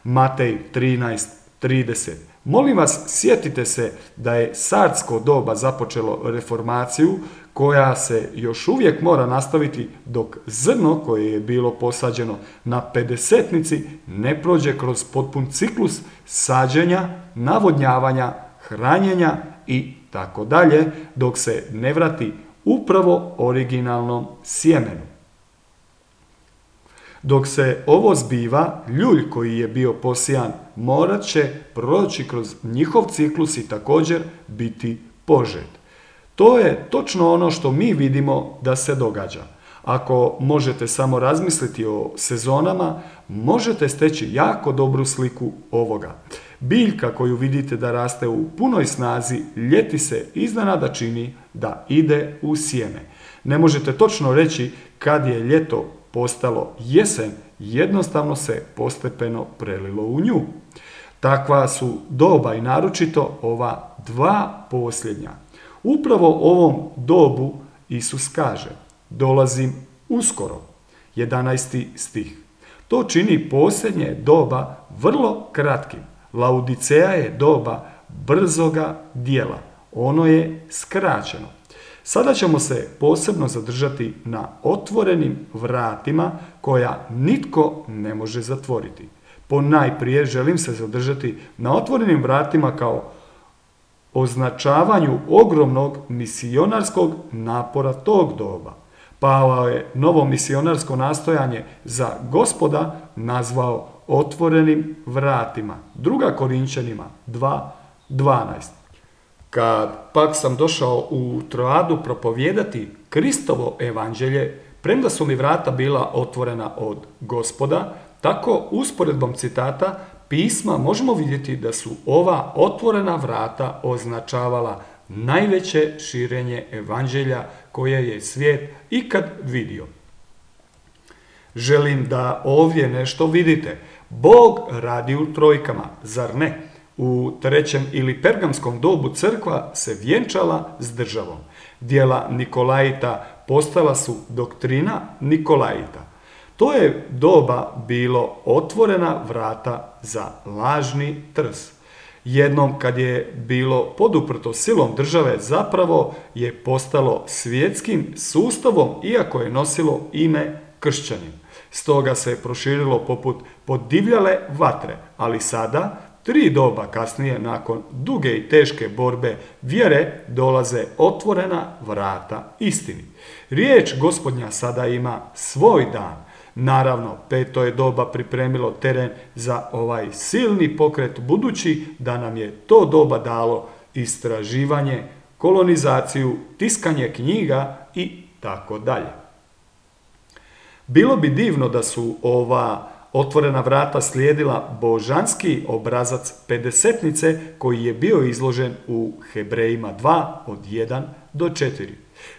Matej 13:30. Molim vas, sjetite se da je sardsko doba započelo reformaciju koja se još uvijek mora nastaviti dok zrno koje je bilo posađeno na pedesetnici ne prođe kroz potpun ciklus sađenja, navodnjavanja, hranjenja i tako dalje, dok se ne vrati upravo originalnom sjemenu. Dok se ovo zbiva, ljulj koji je bio posijan morat će proći kroz njihov ciklus i također biti požet. To je točno ono što mi vidimo da se događa. Ako možete samo razmisliti o sezonama, možete steći jako dobru sliku ovoga. Biljka koju vidite da raste u punoj snazi, ljeti se iznenada čini da ide u sjeme. Ne možete točno reći kad je ljeto postalo jesen, jednostavno se postepeno prelilo u nju. Takva su doba i naročito ova dva posljednja. Upravo ovom dobu Isus kaže: dolazim uskoro. 11. stih. To čini posljednje doba vrlo kratkim. Laodiceja je doba brzoga djela. Ono je skraćeno. Sada ćemo se posebno zadržati na otvorenim vratima koja nitko ne može zatvoriti. Ponajprije želim se zadržati na otvorenim vratima kao označavanju ogromnog misionarskog napora tog doba. Pavao je novo misionarsko nastojanje za Gospoda nazvao otvorenim vratima. 2. Korinčanima 2:12. Kad pak sam došao u Troadu propovijedati Kristovo evanđelje, premda su mi vrata bila otvorena od Gospoda, tako usporedbom citata pisma možemo vidjeti da su ova otvorena vrata označavala najveće širenje evanđelja koje je svijet ikad vidio. Želim da ovdje nešto vidite. Bog radi u trojkama, zar ne? U trećem ili pergamskom dobu crkva se vjenčala s državom. Djela Nikolajita postala su doktrina Nikolajita. To je doba bilo otvorena vrata za lažni trs. Jednom kad je bilo poduprto silom države, zapravo je postalo svjetskim sustavom iako je nosilo ime kršćanin. Stoga se proširilo poput podivljale vatre, ali sada 3 doba kasnije, nakon duge i teške borbe vjere, dolaze otvorena vrata istini. Riječ Gospodnja sada ima svoj dan. Naravno, 5. je doba pripremilo teren za ovaj silni pokret, budući da nam je to doba dalo istraživanje, kolonizaciju, tiskanje knjiga i tako dalje. Bilo bi divno da su ova otvorena vrata slijedila božanski obrazac pedesetnice koji je bio izložen u Hebrejima 2 od 1 do 4.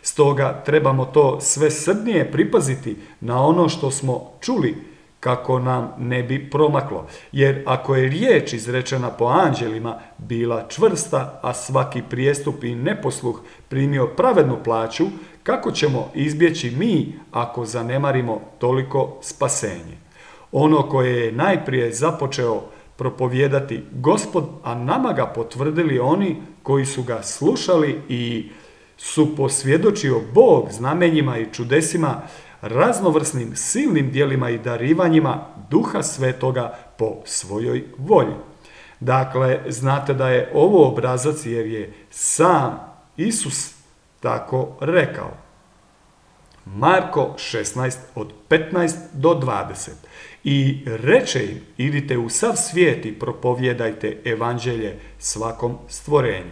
Stoga trebamo to sve srdnije pripaziti na ono što smo čuli kako nam ne bi promaklo. Jer ako je riječ izrečena po anđelima bila čvrsta, a svaki prijestup i neposluh primio pravednu plaću, kako ćemo izbjeći mi ako zanemarimo toliko spasenje? Ono koje je najprije započeo propovijedati Gospod, a nama ga potvrdili oni koji su ga slušali i su posvjedočio Bog znamenjima i čudesima, raznovrsnim silnim djelima i darivanjima Duha Svetoga po svojoj volji. Dakle, znate da je ovo obrazac jer je sam Isus tako rekao. Marko 16 od 15 do 20. I reče im, idite u sav svijet i propovjedajte evanđelje svakom stvorenju.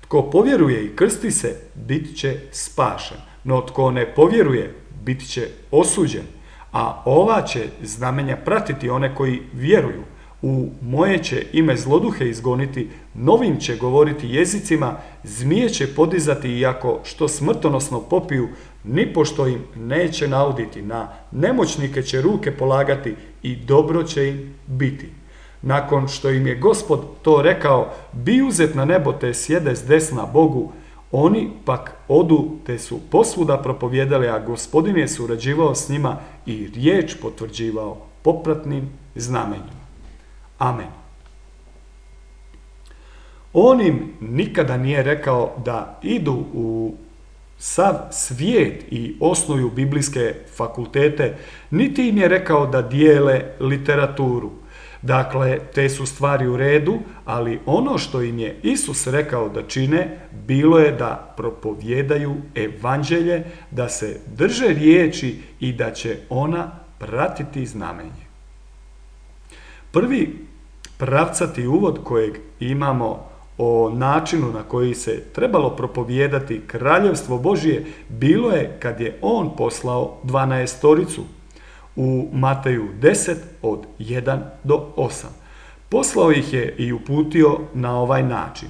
Tko povjeruje i krsti se, bit će spašen, no tko ne povjeruje, bit će osuđen. A ova će znamenja pratiti one koji vjeruju. U moje će ime zloduhe izgoniti, novim će govoriti jezicima, zmije će podizati, iako što smrtonosno popiju, nipošto im neće nauditi, na nemoćnike će ruke polagati i dobro će im biti. Nakon što im je Gospod to rekao, bi uzet na nebo te sjede s desna Bogu, oni pak odu te su posvuda propovijedali, a Gospodin je surađivao s njima i riječ potvrđivao popratnim znamenjima. Amen. On im nikada nije rekao da idu u sav svijet i osnuju biblijske fakultete, niti im je rekao da dijele literaturu. Dakle, te su stvari u redu, ali ono što im je Isus rekao da čine, bilo je da propovijedaju evanđelje, da se drže riječi i da će ona pratiti znamenje. Prvi pravcati uvod kojeg imamo o načinu na koji se trebalo propovijedati kraljevstvo Božje bilo je kad je on poslao 12-toricu u Mateju 10 od 1 do 8. Poslao ih je i uputio na ovaj način.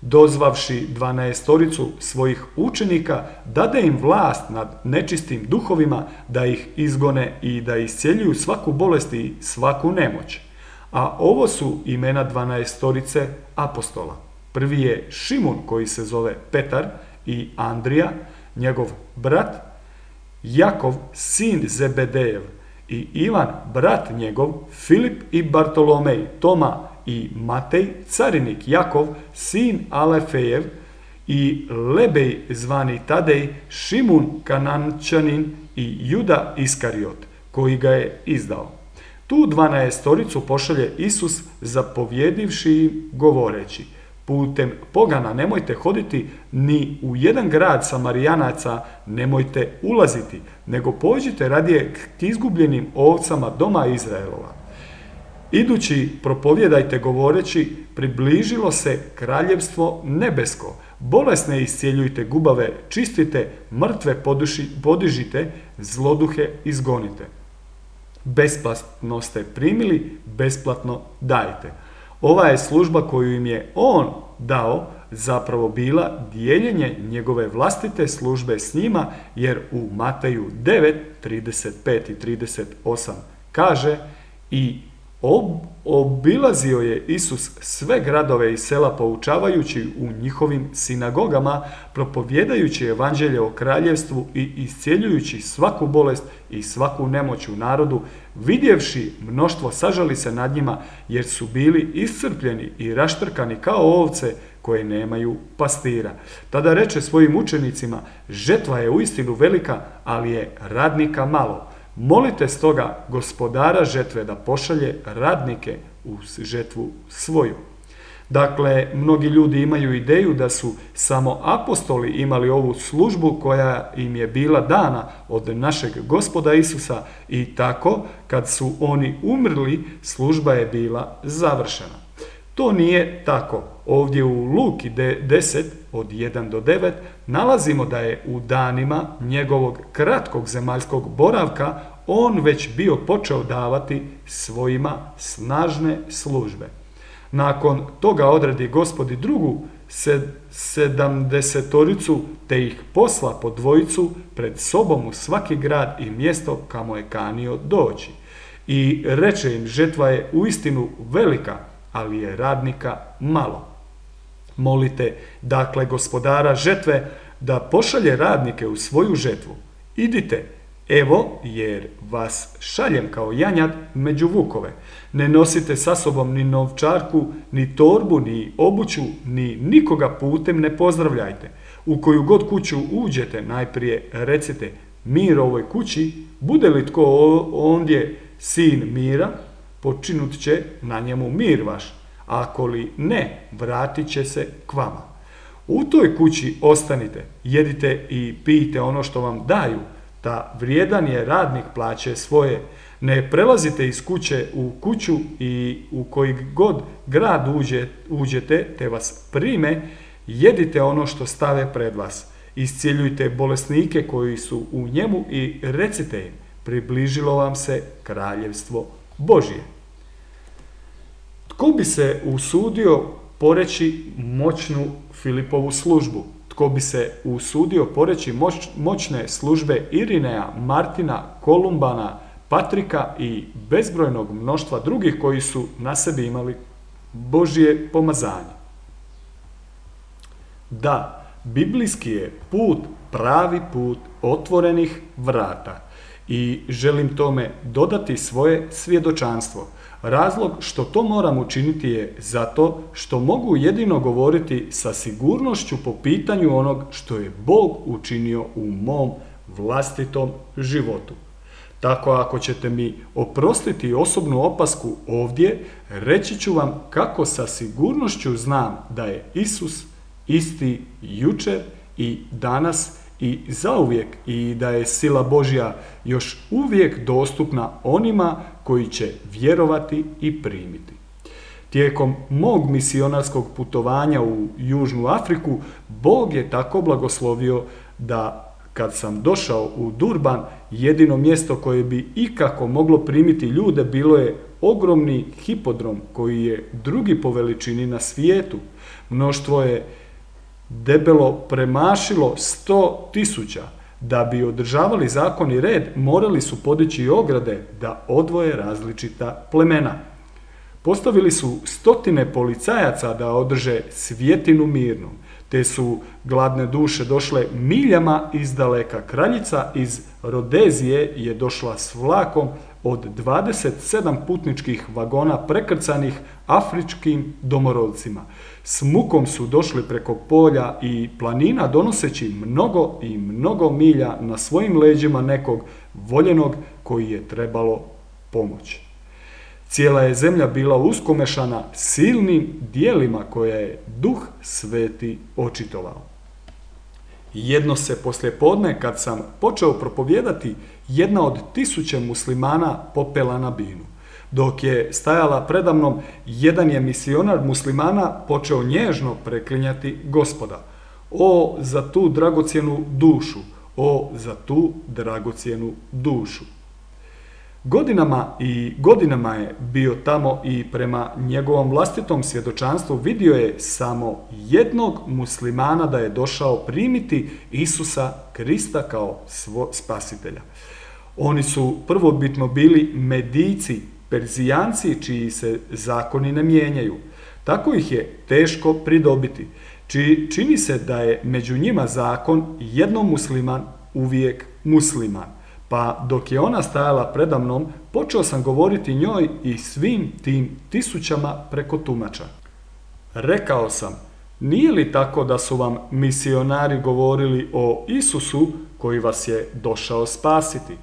Dozvavši 12-toricu svojih učenika, dade im vlast nad nečistim duhovima da ih izgone i da iscjeljuju svaku bolest i svaku nemoć. A ovo su imena 12-torice apostola. Prvi je Šimun, koji se zove Petar, i Andrija, njegov brat, Jakov, sin Zebedejev, i Ivan, brat njegov, Filip i Bartolomej, Toma i Matej, carinik Jakov, sin Alefejev, i Lebej zvani Tadej, Šimun Kanančanin i Juda Iskariot, koji ga je izdao. Tu 12-toricu pošalje Isus zapovjedivši im govoreći: putem pogana nemojte hoditi, ni u jedan grad Samarijanaca nemojte ulaziti, nego pođite radije k izgubljenim ovcama doma Izraelova. Idući propovjedajte govoreći: približilo se kraljevstvo nebesko, bolesne iscijeljujte, gubave čistite, mrtve podižite, zloduhe izgonite. Besplatno ste primili, besplatno dajte. Ova je služba koju im je on dao zapravo bila dijeljenje njegove vlastite službe s njima, jer u Mateju 9, 35 i 38 kaže: i obilazio je Isus sve gradove i sela poučavajući u njihovim sinagogama, propovjedajući evanđelje o kraljevstvu i iscjeljujući svaku bolest i svaku nemoć u narodu. Vidjevši mnoštvo, sažali se nad njima, jer su bili iscrpljeni i raštrkani kao ovce koje nemaju pastira. Tada reče svojim učenicima: žetva je uistinu velika, ali je radnika malo. Molite stoga gospodara žetve da pošalje radnike u žetvu svoju. Dakle, mnogi ljudi imaju ideju da su samo apostoli imali ovu službu koja im je bila dana od našeg Gospoda Isusa i tako, kad su oni umrli, služba je bila završena. To nije tako. Ovdje u Luki 10 od 1 do 9 nalazimo da je u danima njegovog kratkog zemaljskog boravka on već bio počeo davati svojima snažne službe. Nakon toga odredi Gospod i drugu 70-toricu, te ih posla po dvojicu pred sobom u svaki grad i mjesto kamo je kanio doći. I reče im: žetva je uistinu velika, ali je radnika malo. Molite dakle gospodara žetve da pošalje radnike u svoju žetvu. Idite, Evo, jer vas šaljem kao janjad među vukove. Ne nosite sa sobom ni novčarku, ni torbu, ni obuću, ni nikoga putem ne pozdravljajte. U koju god kuću uđete, najprije recite mir ovoj kući, bude li tko ondje sin mira, počinut će na njemu mir vaš, ako li ne, vratit će se k vama. U toj kući ostanite, jedite i pijte ono što vam daju, da vrijedan je radnik plaće svoje. Ne prelazite iz kuće u kuću i u koji god grad uđete, te vas prime, jedite ono što stave pred vas. Iscijeljujte bolesnike koji su u njemu i recite im, približilo vam se kraljevstvo Božje. Tko bi se usudio poreći moćnu Filipovu službu? Tko bi se usudio poreći moćne službe Irineja, Martina, Kolumbana, Patrika i bezbrojnog mnoštva drugih koji su na sebi imali Božje pomazanje? Da, biblijski je put pravi put otvorenih vrata i želim tome dodati svoje svjedočanstvo. Razlog što to moram učiniti je zato što mogu jedino govoriti sa sigurnošću po pitanju onog što je Bog učinio u mom vlastitom životu. Tako ako ćete mi oprostiti osobnu opasku ovdje, reći ću vam kako sa sigurnošću znam da je Isus isti jučer i danas i zauvijek i da je sila Božja još uvijek dostupna onima koji će vjerovati i primiti. Tijekom mog misionarskog putovanja u Južnu Afriku, Bog je tako blagoslovio da kad sam došao u Durban, jedino mjesto koje bi ikako moglo primiti ljude bilo je ogromni hipodrom koji je drugi po veličini na svijetu. Mnoštvo je debelo premašilo 100.000. Da bi održavali zakon i red, morali su podići ograde da odvoje različita plemena. Postavili su 100 policajaca da održe svjetinu mirnom, te su gladne duše došle miljama izdaleka. Kraljica iz Rodezije je došla s vlakom od 27 putničkih vagona prekrcanih afričkim domorodcima. S mukom su došli preko polja i planina donoseći mnogo i mnogo milja na svojim leđima nekog voljenog koji je trebalo pomoći. Cijela je zemlja bila uskomešana silnim dijelima koje je Duh Sveti očitovao. Jedno se poslijepodne, kad sam počeo propovijedati, jedna od 1000 muslimana popela na binu. Dok je stajala predamnom, jedan je misionar muslimana počeo nježno preklinjati Gospoda. O, za tu dragocjenu dušu! O, za tu dragocjenu dušu! Godinama i godinama je bio tamo i prema njegovom vlastitom svjedočanstvu vidio je samo jednog muslimana da je došao primiti Isusa Krista kao spasitelja. Oni su prvobitno bili Medijci, Perzijanci čiji se zakoni ne mijenjaju. Tako ih je teško pridobiti. Čini se da je među njima zakon jednom musliman uvijek musliman. Pa dok je ona stajala predamnom, počeo sam govoriti njoj i svim tim 1000 preko tumača. Rekao sam, nije li tako da su vam misionari govorili o Isusu koji vas je došao spasiti?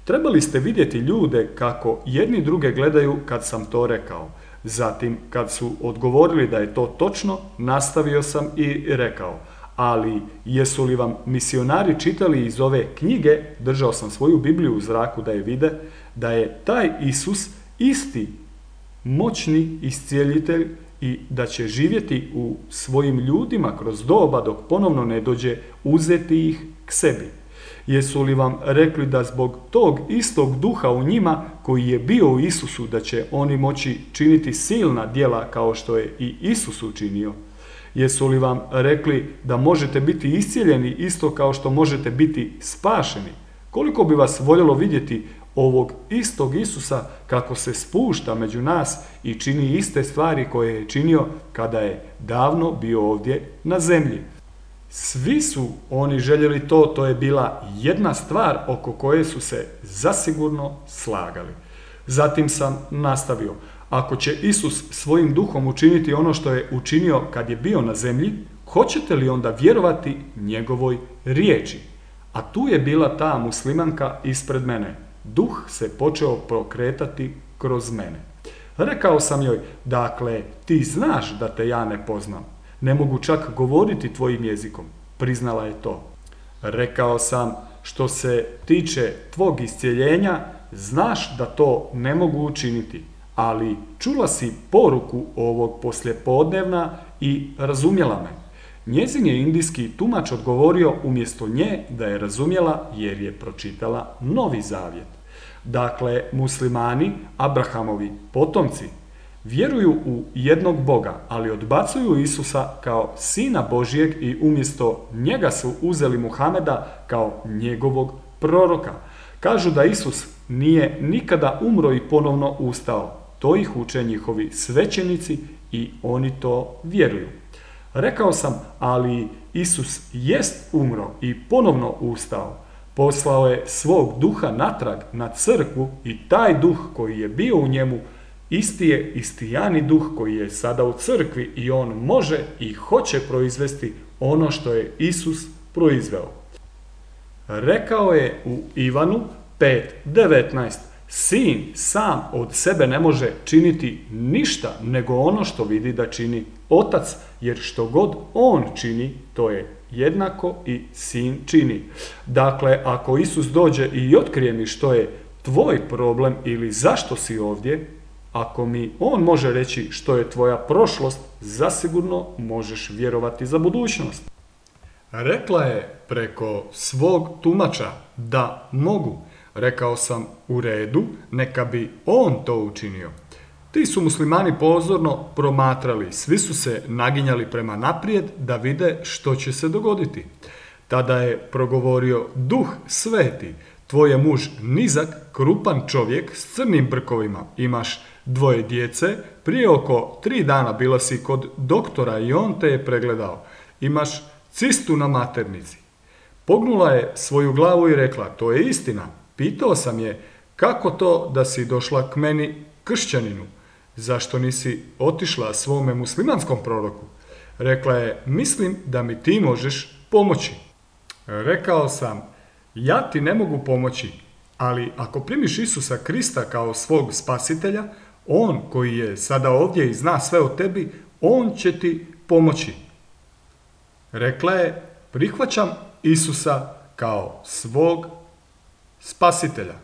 Trebali ste vidjeti ljude kako jedni druge gledaju kad sam to rekao. Zatim, kad su odgovorili da je to točno, nastavio sam i rekao, ali jesu li vam misionari čitali iz ove knjige, držao sam svoju Bibliju u zraku da je vide, da je taj Isus isti moćni iscijelitelj i da će živjeti u svojim ljudima kroz doba dok ponovno ne dođe uzeti ih k sebi. Jesu li vam rekli da zbog tog istog duha u njima koji je bio u Isusu da će oni moći činiti silna djela kao što je i Isus učinio? Jesu li vam rekli da možete biti iscijeljeni isto kao što možete biti spašeni? Koliko bi vas voljelo vidjeti ovog istog Isusa kako se spušta među nas i čini iste stvari koje je činio kada je davno bio ovdje na zemlji? Svi su oni željeli to, to je bila jedna stvar oko koje su se zasigurno slagali. Zatim sam nastavio, ako će Isus svojim duhom učiniti ono što je učinio kad je bio na zemlji, hoćete li onda vjerovati njegovoj riječi? A tu je bila ta muslimanka ispred mene. Duh se počeo prokretati kroz mene. Rekao sam joj, dakle, ti znaš da te ja ne poznam. Ne mogu čak govoriti tvojim jezikom. Priznala je to. Rekao sam, što se tiče tvog iscijeljenja, znaš da to ne mogu učiniti, ali čula si poruku ovog poslijepodnevna i razumjela me. Njezin je indijski tumač odgovorio umjesto nje da je razumjela jer je pročitala Novi Zavjet. Dakle, muslimani, Abrahamovi potomci, vjeruju u jednog Boga, ali odbacuju Isusa kao Sina Božijeg i umjesto njega su uzeli Muhameda kao njegovog proroka. Kažu da Isus nije nikada umro i ponovno ustao. To ih uče njihovi svećenici i oni to vjeruju. Rekao sam, ali Isus jest umro i ponovno ustao. Poslao je svog duha natrag na crkvu i taj duh koji je bio u njemu isti je istijani duh koji je sada u crkvi i on može i hoće proizvesti ono što je Isus proizveo. Rekao je u Ivanu 5:19, sin sam od sebe ne može činiti ništa nego ono što vidi da čini otac, jer što god on čini, to je jednako i sin čini. Dakle, ako Isus dođe i otkrije mi što je tvoj problem ili zašto si ovdje, ako mi on može reći što je tvoja prošlost, zasigurno možeš vjerovati za budućnost. Rekla je preko svog tumača da mogu. Rekao sam, u redu, neka bi on to učinio. Ti su muslimani pozorno promatrali, svi su se naginjali prema naprijed da vide što će se dogoditi. Tada je progovorio Duh Sveti, tvoj je muž nizak, krupan čovjek s crnim brkovima, imaš 2 djece, prije oko 3 dana bila si kod doktora i on te je pregledao. Imaš cistu na maternici. Pognula je svoju glavu i rekla, to je istina. Pitao sam je, kako to da si došla k meni kršćaninu? Zašto nisi otišla svome muslimanskom proroku? Rekla je, mislim da mi ti možeš pomoći. Rekao sam, ja ti ne mogu pomoći, ali ako primiš Isusa Krista kao svog spasitelja, on koji je sada ovdje i zna sve o tebi, on će ti pomoći. Rekla je, prihvaćam Isusa kao svog spasitelja.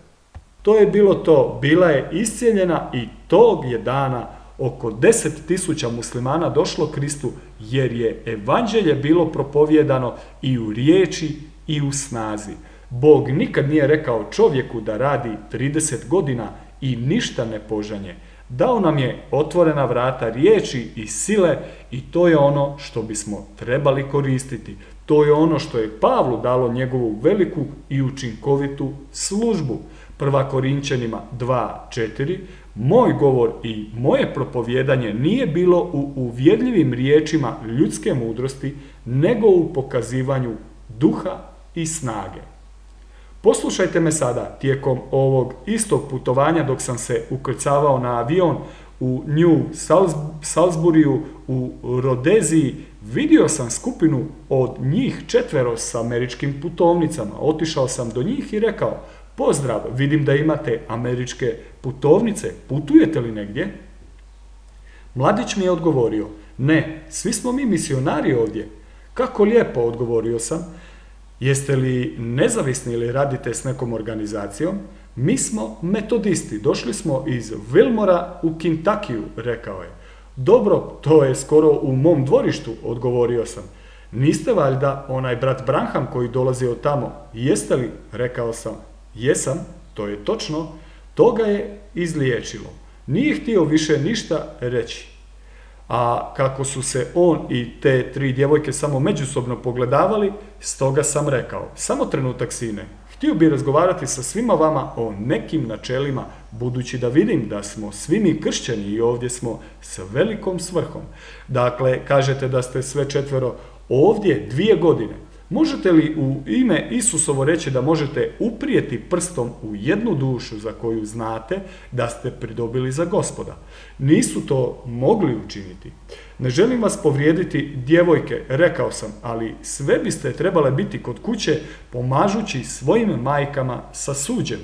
To je bilo to, bila je iscijeljena i tog je dana oko 10.000 muslimana došlo Kristu jer je evanđelje bilo propovijedano i u riječi i u snazi. Bog nikad nije rekao čovjeku da radi 30 godina i ništa ne požanje. Dao nam je otvorena vrata riječi i sile i to je ono što bismo trebali koristiti. To je ono što je Pavlu dalo njegovu veliku i učinkovitu službu. 1. Korinčanima 2:4, moj govor i moje propovijedanje nije bilo u uvjerljivim riječima ljudske mudrosti, nego u pokazivanju duha i snage. Poslušajte me sada, tijekom ovog istog putovanja dok sam se ukrcavao na avion u New Salisburyu u Rodeziji, vidio sam skupinu od njih 4 s američkim putovnicama. Otišao sam do njih i rekao, pozdrav, vidim da imate američke putovnice, putujete li negdje? Mladić mi je odgovorio, ne, svi smo mi misionari ovdje. Kako lijepo, odgovorio sam. Jeste li nezavisni ili radite s nekom organizacijom? Mi smo metodisti, došli smo iz Wilmora u Kentuckyu, rekao je. Dobro, to je skoro u mom dvorištu, odgovorio sam. Niste valjda onaj brat Branham koji dolazi od tamo? Jeste li? Rekao sam. Jesam, to je točno. To ga je izliječilo. Nije htio više ništa reći. A kako su se on i te 3 djevojke samo međusobno pogledavali, stoga sam rekao, samo trenutak sine, htio bi razgovarati sa svima vama o nekim načelima, budući da vidim da smo svi mi kršćani i ovdje smo s velikom svrhom. Dakle, kažete da ste sve 4 ovdje 2 godine. Možete li u ime Isusovo reći da možete uprijeti prstom u jednu dušu za koju znate da ste pridobili za Gospoda? Nisu to mogli učiniti. Ne želim vas povrijediti, djevojke, rekao sam, ali sve biste trebale biti kod kuće pomažući svojim majkama sa suđem.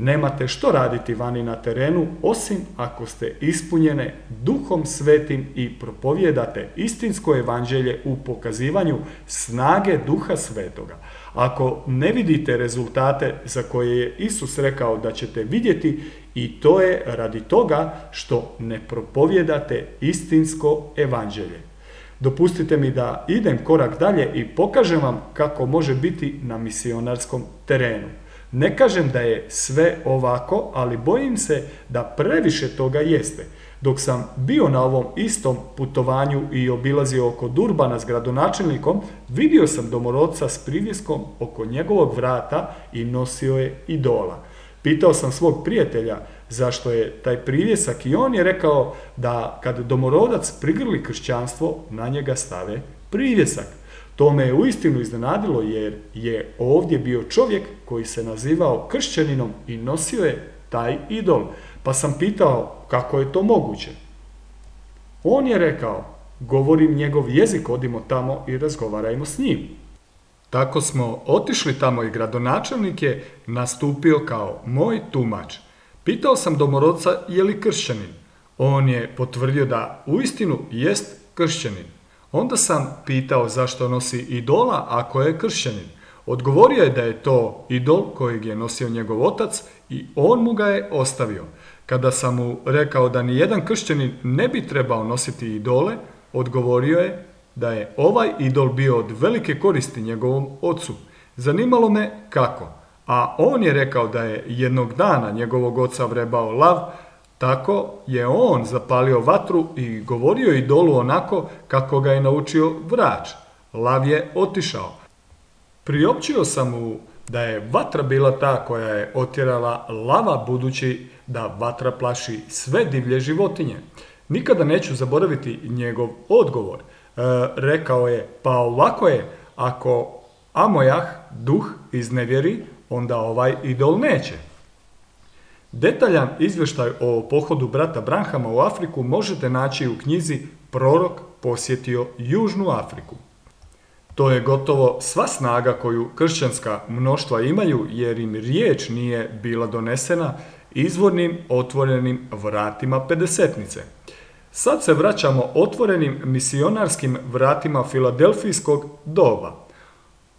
Nemate što raditi vani na terenu, osim ako ste ispunjene Duhom Svetim i propovijedate istinsko evanđelje u pokazivanju snage Duha Svetoga. Ako ne vidite rezultate za koje je Isus rekao da ćete vidjeti, i to je radi toga što ne propovijedate istinsko evanđelje. Dopustite mi da idem korak dalje i pokažem vam kako može biti na misionarskom terenu. Ne kažem da je sve ovako, ali bojim se da previše toga jeste. Dok sam bio na ovom istom putovanju i obilazio oko Durbana s gradonačelnikom, vidio sam domorodca s privjeskom oko njegovog vrata i nosio je idola. Pitao sam svog prijatelja zašto je taj privjesak i on je rekao da kad domorodac prigrli kršćanstvo, na njega stave privjesak. To me je uistinu iznenadilo jer je ovdje bio čovjek koji se nazivao kršćaninom i nosio je taj idol. Pa sam pitao kako je to moguće. On je rekao, govorim njegov jezik, odimo tamo i razgovarajmo s njim. Tako smo otišli tamo i gradonačelnik je nastupio kao moj tumač. Pitao sam domorodca je li kršćanin. On je potvrdio da uistinu jest kršćanin. Onda sam pitao zašto nosi idola ako je kršćanin. Odgovorio je da je to idol kojeg je nosio njegov otac i on mu ga je ostavio. Kada sam mu rekao da nijedan kršćanin ne bi trebao nositi idole, odgovorio je da je ovaj idol bio od velike koristi njegovom ocu. Zanimalo me kako, a on je rekao da je jednog dana njegovog oca vrebao lav, tako je on zapalio vatru i govorio idolu onako kako ga je naučio vrač. Lav je otišao. Priopćio sam mu da je vatra bila ta koja je otjerala lava budući da vatra plaši sve divlje životinje. Nikada neću zaboraviti njegov odgovor. Rekao je, pa ovako je, ako Amojah, duh, iznevjeri, onda ovaj idol neće. Detaljan izvještaj o pohodu brata Branhama u Afriku možete naći u knjizi Prorok posjetio Južnu Afriku. To je gotovo sva snaga koju kršćanska mnoštva imaju jer im riječ nije bila donesena izvornim otvorenim vratima pedesetnice. Sad se vraćamo otvorenim misionarskim vratima filadelfijskog doba.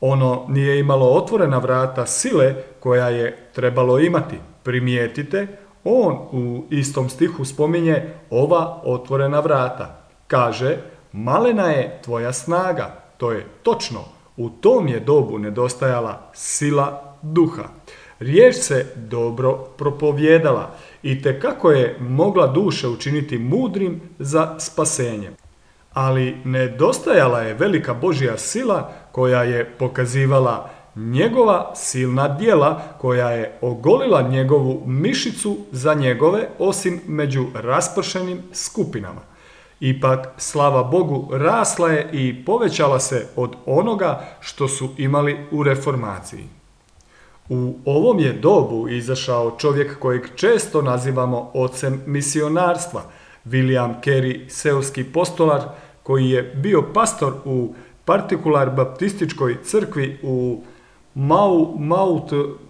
Ono nije imalo otvorena vrata sile koja je trebalo imati. Primijetite, on u istom stihu spominje ova otvorena vrata. Kaže, malena je tvoja snaga. To je točno, u tom je dobu nedostajala sila duha. Riječ se dobro propovjedala i tekako je mogla duše učiniti mudrim za spasenje. Ali nedostajala je velika Božja sila koja je pokazivala njegova silna djela, koja je ogolila njegovu mišicu za njegove, osim među raspršenim skupinama. Ipak, slava Bogu, rasla je i povećala se od onoga što su imali u reformaciji. U ovom je dobu izašao čovjek kojeg često nazivamo ocem misionarstva, William Carey, seoski postolar, koji je bio pastor u partikular baptističkoj crkvi u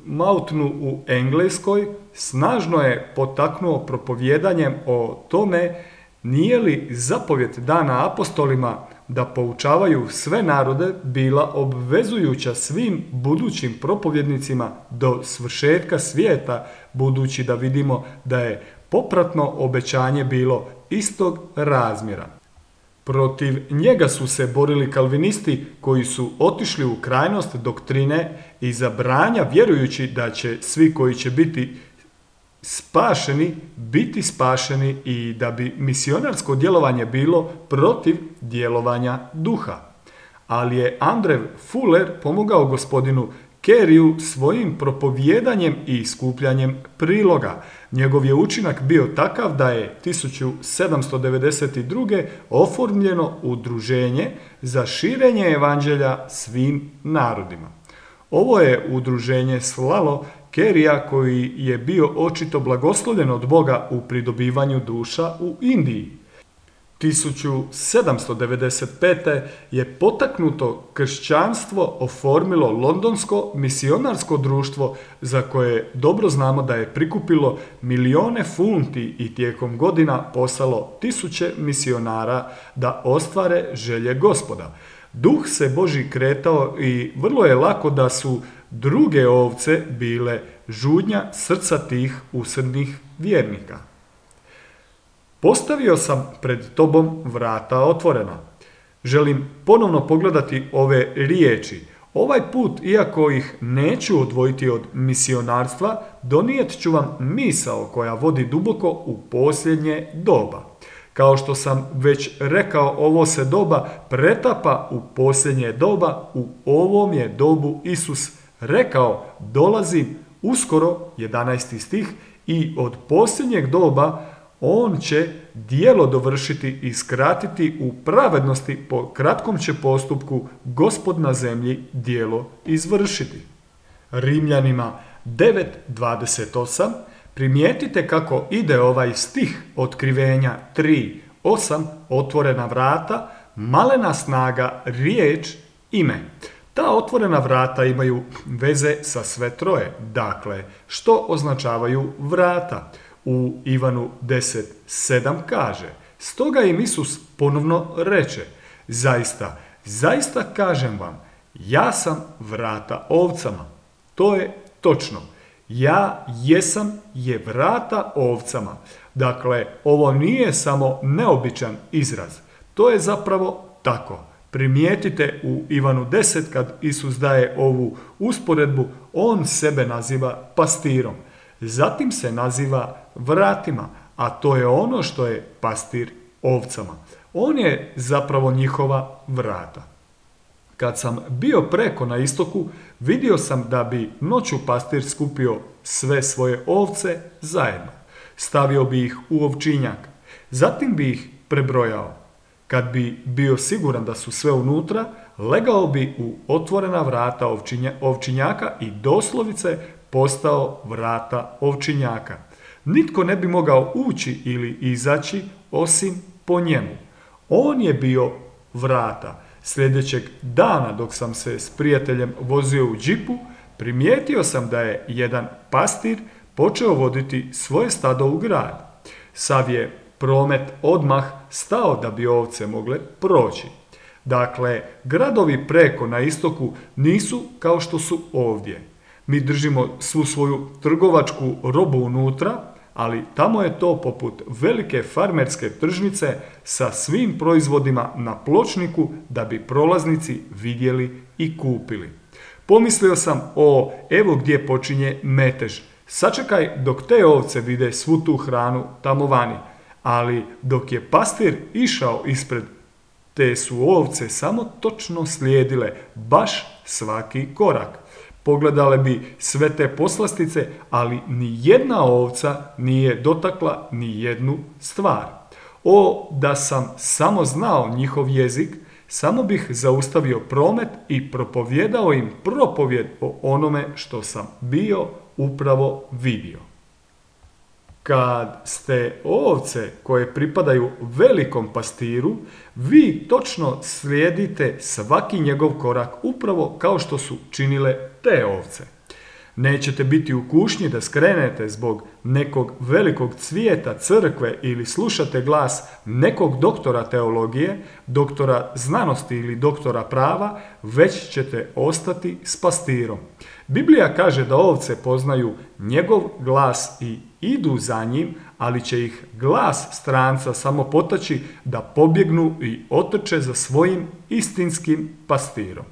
Moutonu u Engleskoj, snažno je potaknuo propovjedanjem o tome nije li zapovjed dana apostolima da poučavaju sve narode bila obvezujuća svim budućim propovjednicima do svršetka svijeta, budući da vidimo da je popratno obećanje bilo istog razmjera. Protiv njega su se borili kalvinisti koji su otišli u krajnost doktrine i zabranja vjerujući da će svi koji će biti spašeni i da bi misionarsko djelovanje bilo protiv djelovanja duha. Ali je Andrew Fuller pomogao gospodinu Keriju svojim propovijedanjem i skupljanjem priloga. Njegov je učinak bio takav da je 1792. oformljeno udruženje za širenje evanđelja svim narodima. Ovo je udruženje slalo Kerija koji je bio očito blagoslovljen od Boga u pridobivanju duša u Indiji. 1795. je potaknuto kršćanstvo oformilo Londonsko misionarsko društvo za koje dobro znamo da je prikupilo milijone funti i tijekom godina poslalo tisuće misionara da ostvare želje Gospoda. Duh se Božji kretao i vrlo je lako da su druge ovce bile žudnja srca tih usrdnih vjernika. Postavio sam pred tobom vrata otvorena. Želim ponovno pogledati ove riječi. Ovaj put, iako ih neću odvojiti od misionarstva, donijet ću vam misao koja vodi duboko u posljednje doba. Kao što sam već rekao, ovo se doba pretapa u posljednje doba, u ovom je dobu Isus rekao, dolazim uskoro, 11. stih, i od posljednjeg doba on će djelo dovršiti i skratiti u pravednosti, po kratkom će postupku Gospod na zemlji djelo izvršiti. Rimljanima 9.28 primijetite kako ide ovaj stih Otkrivenja 3.8, otvorena vrata, malena snaga, riječ, ime. Ta otvorena vrata imaju veze sa sve troje. Dakle, što označavaju vrata? U Ivanu 10.7 kaže, stoga im Isus ponovno reče, zaista kažem vam, ja sam vrata ovcama. To je točno. Ja jesam je vrata ovcama. Dakle, ovo nije samo neobičan izraz. To je zapravo tako. Primijetite u Ivanu 10 kad Isus daje ovu usporedbu, on sebe naziva pastirom. Zatim se naziva vratima, a to je ono što je pastir ovcama. On je zapravo njihova vrata. Kad sam bio preko na istoku, vidio sam da bi noću pastir skupio sve svoje ovce zajedno. Stavio bi ih u ovčinjak. Zatim bi ih prebrojao. Kad bi bio siguran da su sve unutra, legao bi u otvorena vrata ovčinjaka i doslovice postao vrata ovčinjaka. Nitko ne bi mogao ući ili izaći osim po njemu. On je bio vrata. Sljedećeg dana dok sam se s prijateljem vozio u džipu, primijetio sam da je jedan pastir počeo voditi svoje stado u grad. Sav je promet odmah stao da bi ovce mogle proći. Dakle, gradovi preko na istoku nisu kao što su ovdje. Mi držimo svu svoju trgovačku robu unutra, ali tamo je to poput velike farmerske tržnice sa svim proizvodima na pločniku da bi prolaznici vidjeli i kupili. Pomislio sam, evo gdje počinje metež. Sačekaj dok te ovce vide svu tu hranu tamo vani. Ali dok je pastir išao ispred, te su ovce samo točno slijedile baš svaki korak. Pogledale bi sve te poslastice, ali ni jedna ovca nije dotakla ni jednu stvar. Da sam samo znao njihov jezik, samo bih zaustavio promet i propovjedao im propovjed o onome što sam bio upravo vidio. Kad ste ovce koje pripadaju velikom pastiru, vi točno slijedite svaki njegov korak upravo kao što su činile te ovce. Nećete biti u kušnji da skrenete zbog nekog velikog cvijeta crkve ili slušate glas nekog doktora teologije, doktora znanosti ili doktora prava, već ćete ostati s pastirom. Biblija kaže da ovce poznaju njegov glas i idu za njim, ali će ih glas stranca samo potaći da pobjegnu i otrče za svojim istinskim pastirom.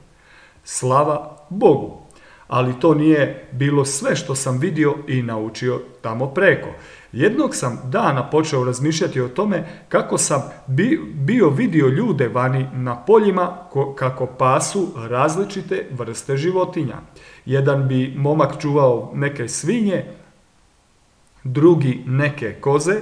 Slava Bogu! Ali to nije bilo sve što sam vidio i naučio tamo preko. Jednog sam dana počeo razmišljati o tome kako sam bio vidio ljude vani na poljima kako pasu različite vrste životinja. Jedan bi momak čuvao neke svinje, drugi neke koze,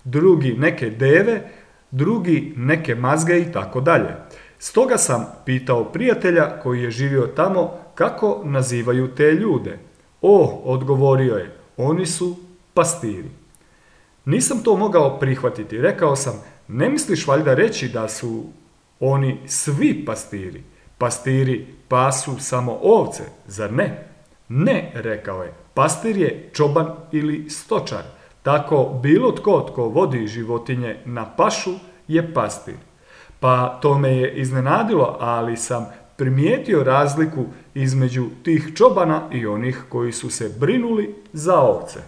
drugi neke deve, drugi neke mazge i tako dalje. Stoga sam pitao prijatelja koji je živio tamo kako nazivaju te ljude. Odgovorio je, oni su pastiri. Nisam to mogao prihvatiti. Rekao sam, ne misliš valjda reći da su oni svi pastiri? Pastiri pasu samo ovce, zar ne? Ne, rekao je, pastir je čoban ili stočar. Tako bilo tko vodi životinje na pašu je pastir. Pa to me je iznenadilo, ali sam primijetio razliku između tih čobana i onih koji su se brinuli za ovce.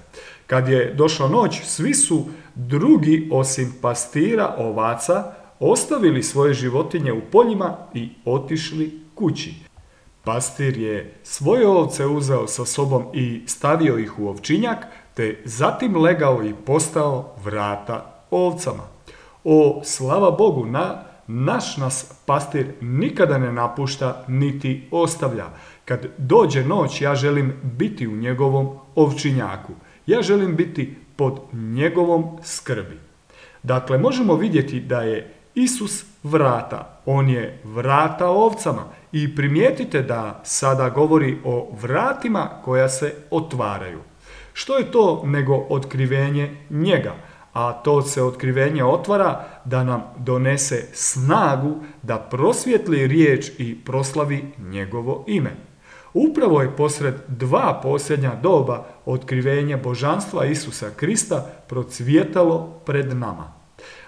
Kad je došla noć, svi su drugi osim pastira ovaca ostavili svoje životinje u poljima i otišli kući. Pastir je svoje ovce uzeo sa sobom i stavio ih u ovčinjak, te zatim legao i postao vrata ovcama. Slava Bogu, naš nas pastir nikada ne napušta niti ostavlja. Kad dođe noć, ja želim biti u njegovom ovčinjaku. Ja želim biti pod njegovom skrbi. Dakle, možemo vidjeti da je Isus vrata. On je vrata ovcama. I primijetite da sada govori o vratima koja se otvaraju. Što je to nego otkrivenje njega? A to se otkrivenje otvara da nam donese snagu da prosvijetli riječ i proslavi njegovo ime. Upravo je posred dva posljednja doba otkrivenje božanstva Isusa Krista procvjetalo pred nama.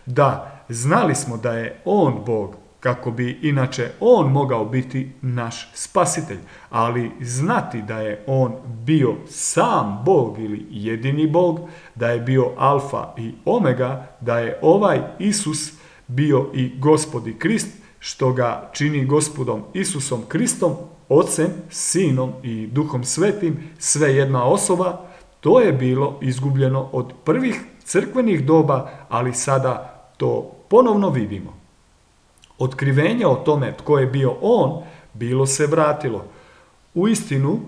Da, znali smo da je on Bog, kako bi inače on mogao biti naš spasitelj, ali znati da je on bio sam Bog ili jedini Bog, da je bio alfa i omega, da je ovaj Isus bio i Gospod i Krist, što ga čini Gospodom Isusom Kristom, Ocem, Sinom i Duhom Svetim, sve jedna osoba, to je bilo izgubljeno od prvih crkvenih doba, ali sada to ponovno vidimo. Otkrivenje o tome tko je bio on, bilo se vratilo. Uistinu,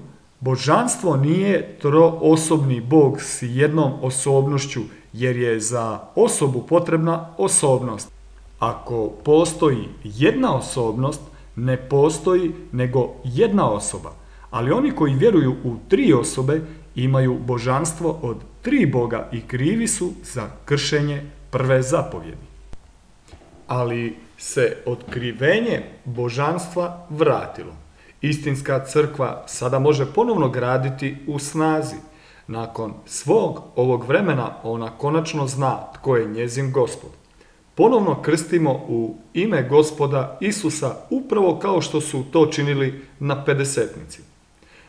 božanstvo nije troosobni Bog s jednom osobnošću, jer je za osobu potrebna osobnost. Ako postoji jedna osobnost, ne postoji nego jedna osoba. Ali oni koji vjeruju u tri osobe imaju božanstvo od tri Boga i krivi su za kršenje prve zapovjedi. Ali se otkrivenje božanstva vratilo. Istinska crkva sada može ponovno graditi u snazi. Nakon svog ovog vremena ona konačno zna tko je njezin Gospod. Ponovno krstimo u ime Gospoda Isusa upravo kao što su to činili na Pedesetnici.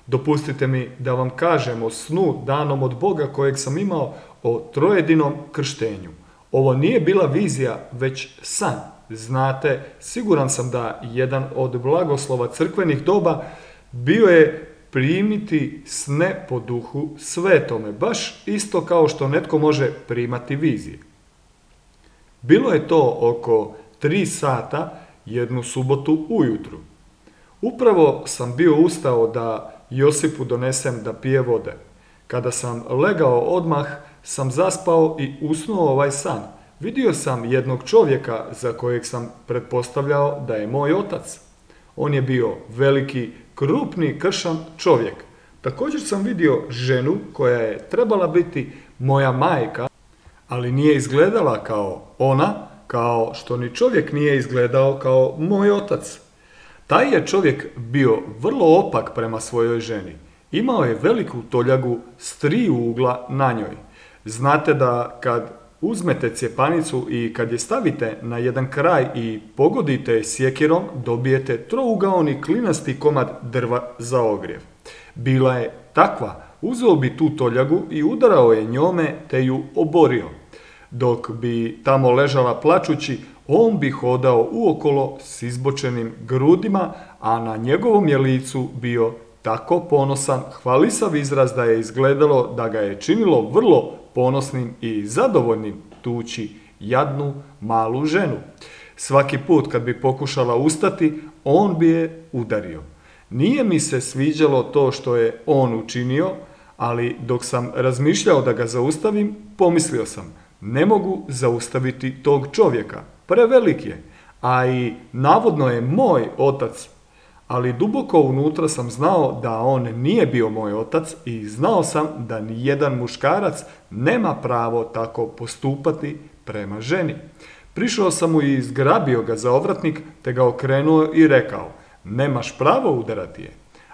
Dopustite mi da vam kažem o snu danom od Boga kojeg sam imao o trojedinom krštenju. Ovo nije bila vizija, već san. Znate, siguran sam da jedan od blagoslova crkvenih doba bio je primiti sne po Duhu Svetome, baš isto kao što netko može primati vizije. Bilo je to oko 3 sata jednu subotu ujutru. Upravo sam bio ustao da Josipu donesem da pije vode. Kada sam legao odmah, sam zaspao i usnuo ovaj san. Vidio sam jednog čovjeka za kojeg sam pretpostavljao da je moj otac. On je bio veliki, krupni, kršan čovjek. Također sam vidio ženu koja je trebala biti moja majka, ali nije izgledala kao ona, kao što ni čovjek nije izgledao kao moj otac. Taj je čovjek bio vrlo opak prema svojoj ženi. Imao je veliku toljagu s 3 ugla na njoj. Znate da kad uzmete cjepanicu i kad je stavite na jedan kraj i pogodite je sjekirom, dobijete trougaoni klinasti komad drva za ogrjev. Bila je takva, uzeo bi tu toljagu i udarao je njome te ju oborio. Dok bi tamo ležala plačući, on bi hodao uokolo s izbočenim grudima, a na njegovom je licu bio tako ponosan, hvalisav izraz da je izgledalo da ga je činilo vrlo ponosnim i zadovoljnim tući jadnu malu ženu. Svaki put kad bi pokušala ustati, on bi je udario. Nije mi se sviđalo to što je on učinio, ali dok sam razmišljao da ga zaustavim, pomislio sam, ne mogu zaustaviti tog čovjeka, prevelik je, a i navodno je moj otac, ali duboko unutra sam znao da on nije bio moj otac i znao sam da nijedan muškarac nema pravo tako postupati prema ženi. Prišao sam mu i zgrabio ga za ovratnik, te ga okrenuo i rekao, nemaš pravo udarati je.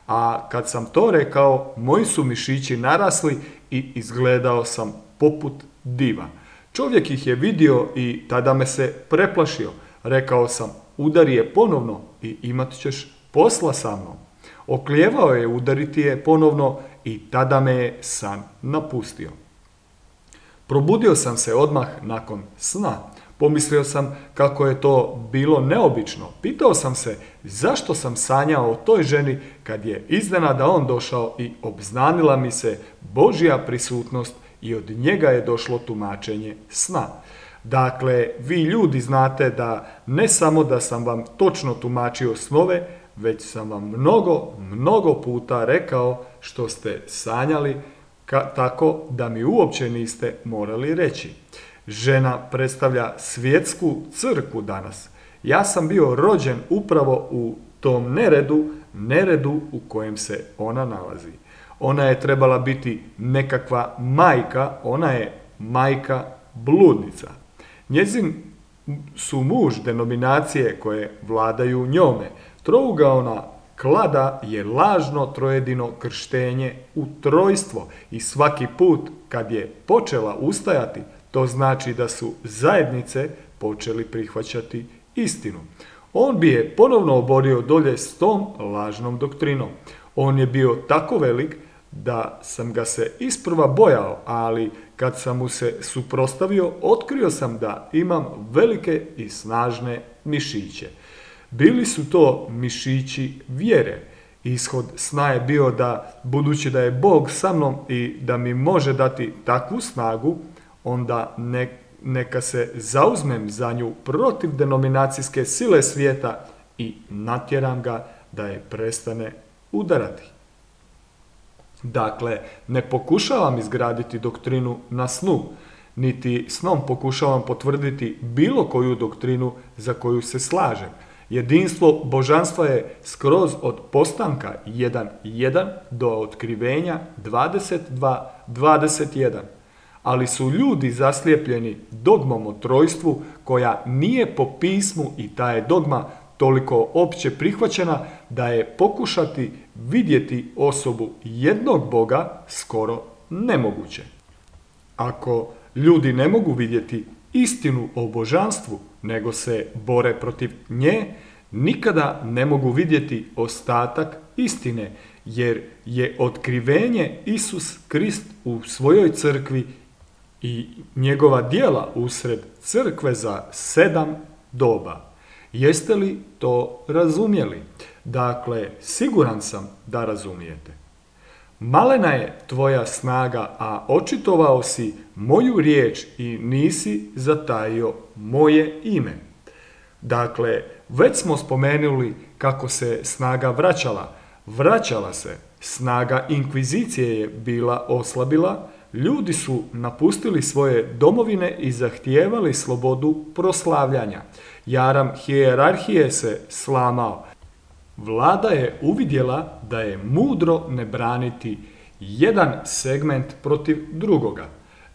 A kad sam to rekao, moji su mišići narasli i izgledao sam poput diva. Čovjek ih je vidio i tada me se preplašio. Rekao sam, udari je ponovno i imat ćeš posla sa mnom. Oklijevao je udariti je ponovno i tada me je san napustio. Probudio sam se odmah nakon sna. Pomislio sam kako je to bilo neobično. Pitao sam se zašto sam sanjao o toj ženi kad je iznenada on došao i obznanila mi se Božja prisutnost i od njega je došlo tumačenje sna. Dakle, vi ljudi znate da ne samo da sam vam točno tumačio snove, već sam vam mnogo puta rekao što ste sanjali tako da mi uopće niste morali reći. Žena predstavlja svjetsku crkvu danas. Ja sam bio rođen upravo u tom neredu u kojem se ona nalazi. Ona je trebala biti nekakva majka, ona je majka bludnica. Njezin su muž denominacije koje vladaju njome. Trougaona klada je lažno trojedino krštenje u trojstvo i svaki put kad je počela ustajati, to znači da su zajednice počeli prihvaćati istinu. On bi je ponovno oborio dolje s tom lažnom doktrinom. On je bio tako velik da sam ga se isprva bojao, ali kad sam mu se suprotstavio, otkrio sam da imam velike i snažne mišiće. Bili su to mišići vjere. Ishod sna je bio da, budući da je Bog sa mnom i da mi može dati takvu snagu, onda neka se zauzmem za nju protiv denominacijske sile svijeta i natjeram ga da je prestane udarati. Dakle, ne pokušavam izgraditi doktrinu na snu, niti snom pokušavam potvrditi bilo koju doktrinu za koju se slažem. Jedinstvo božanstva je skroz od postanka 1.1 do otkrivenja 22.21. Ali su ljudi zaslijepljeni dogmom o trojstvu koja nije po pismu i ta je dogma toliko opće prihvaćena da je pokušati vidjeti osobu jednog Boga skoro nemoguće. Ako ljudi ne mogu vidjeti istinu o božanstvu, nego se bore protiv nje, nikada ne mogu vidjeti ostatak istine, jer je otkrivenje Isus Krist u svojoj crkvi i njegova djela usred crkve za 7 doba. Jeste li to razumjeli? Dakle, siguran sam da razumijete. Malena je tvoja snaga, a očitovao si moju riječ i nisi zatajio moje ime. Dakle, već smo spomenuli kako se snaga vraćala. Vraćala se. Snaga inkvizicije je bila oslabila, ljudi su napustili svoje domovine i zahtijevali slobodu proslavljanja. Jaram hijerarhije se slamao. Vlada je uvidjela da je mudro ne braniti jedan segment protiv drugoga.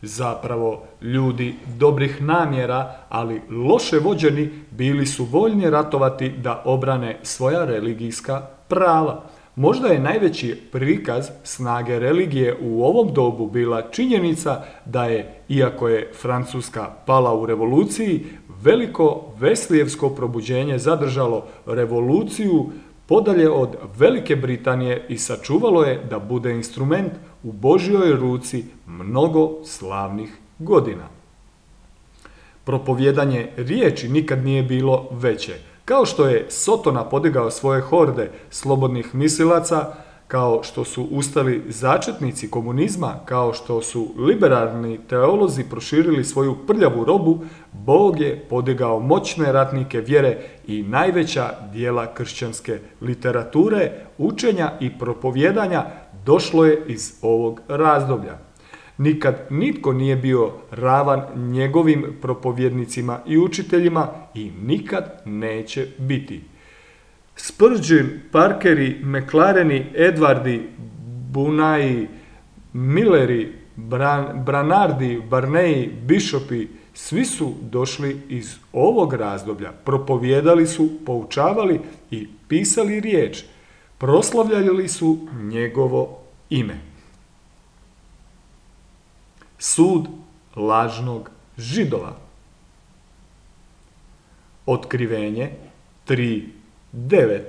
Zapravo, ljudi dobrih namjera, ali loše vođeni, bili su voljni ratovati da obrane svoja religijska prava. Možda je najveći prikaz snage religije u ovom dobu bila činjenica da je, iako je Francuska pala u revoluciji, veliko Veslijevsko probuđenje zadržalo revoluciju podalje od Velike Britanije i sačuvalo je da bude instrument u Božjoj ruci mnogo slavnih godina. Propovjedanje riječi nikad nije bilo veće. Kao što je Sotona podigao svoje horde slobodnih mislilaca, kao što su ustali začetnici komunizma, kao što su liberalni teolozi proširili svoju prljavu robu, Bog je podigao moćne ratnike vjere i najveća dijela kršćanske literature, učenja i propovjedanja došlo je iz ovog razdoblja. Nikad nitko nije bio ravan njegovim propovjednicima i učiteljima i nikad neće biti. Spurgeon, Parkeri, McLareni, Edwardi, Bunayi, Milleri, Branardi, Barney, Bishopi, svi su došli iz ovog razdoblja. Propovijedali su, poučavali i pisali riječ. Proslavljali su njegovo ime. Sud lažnog židova. Otkrivenje 3:9.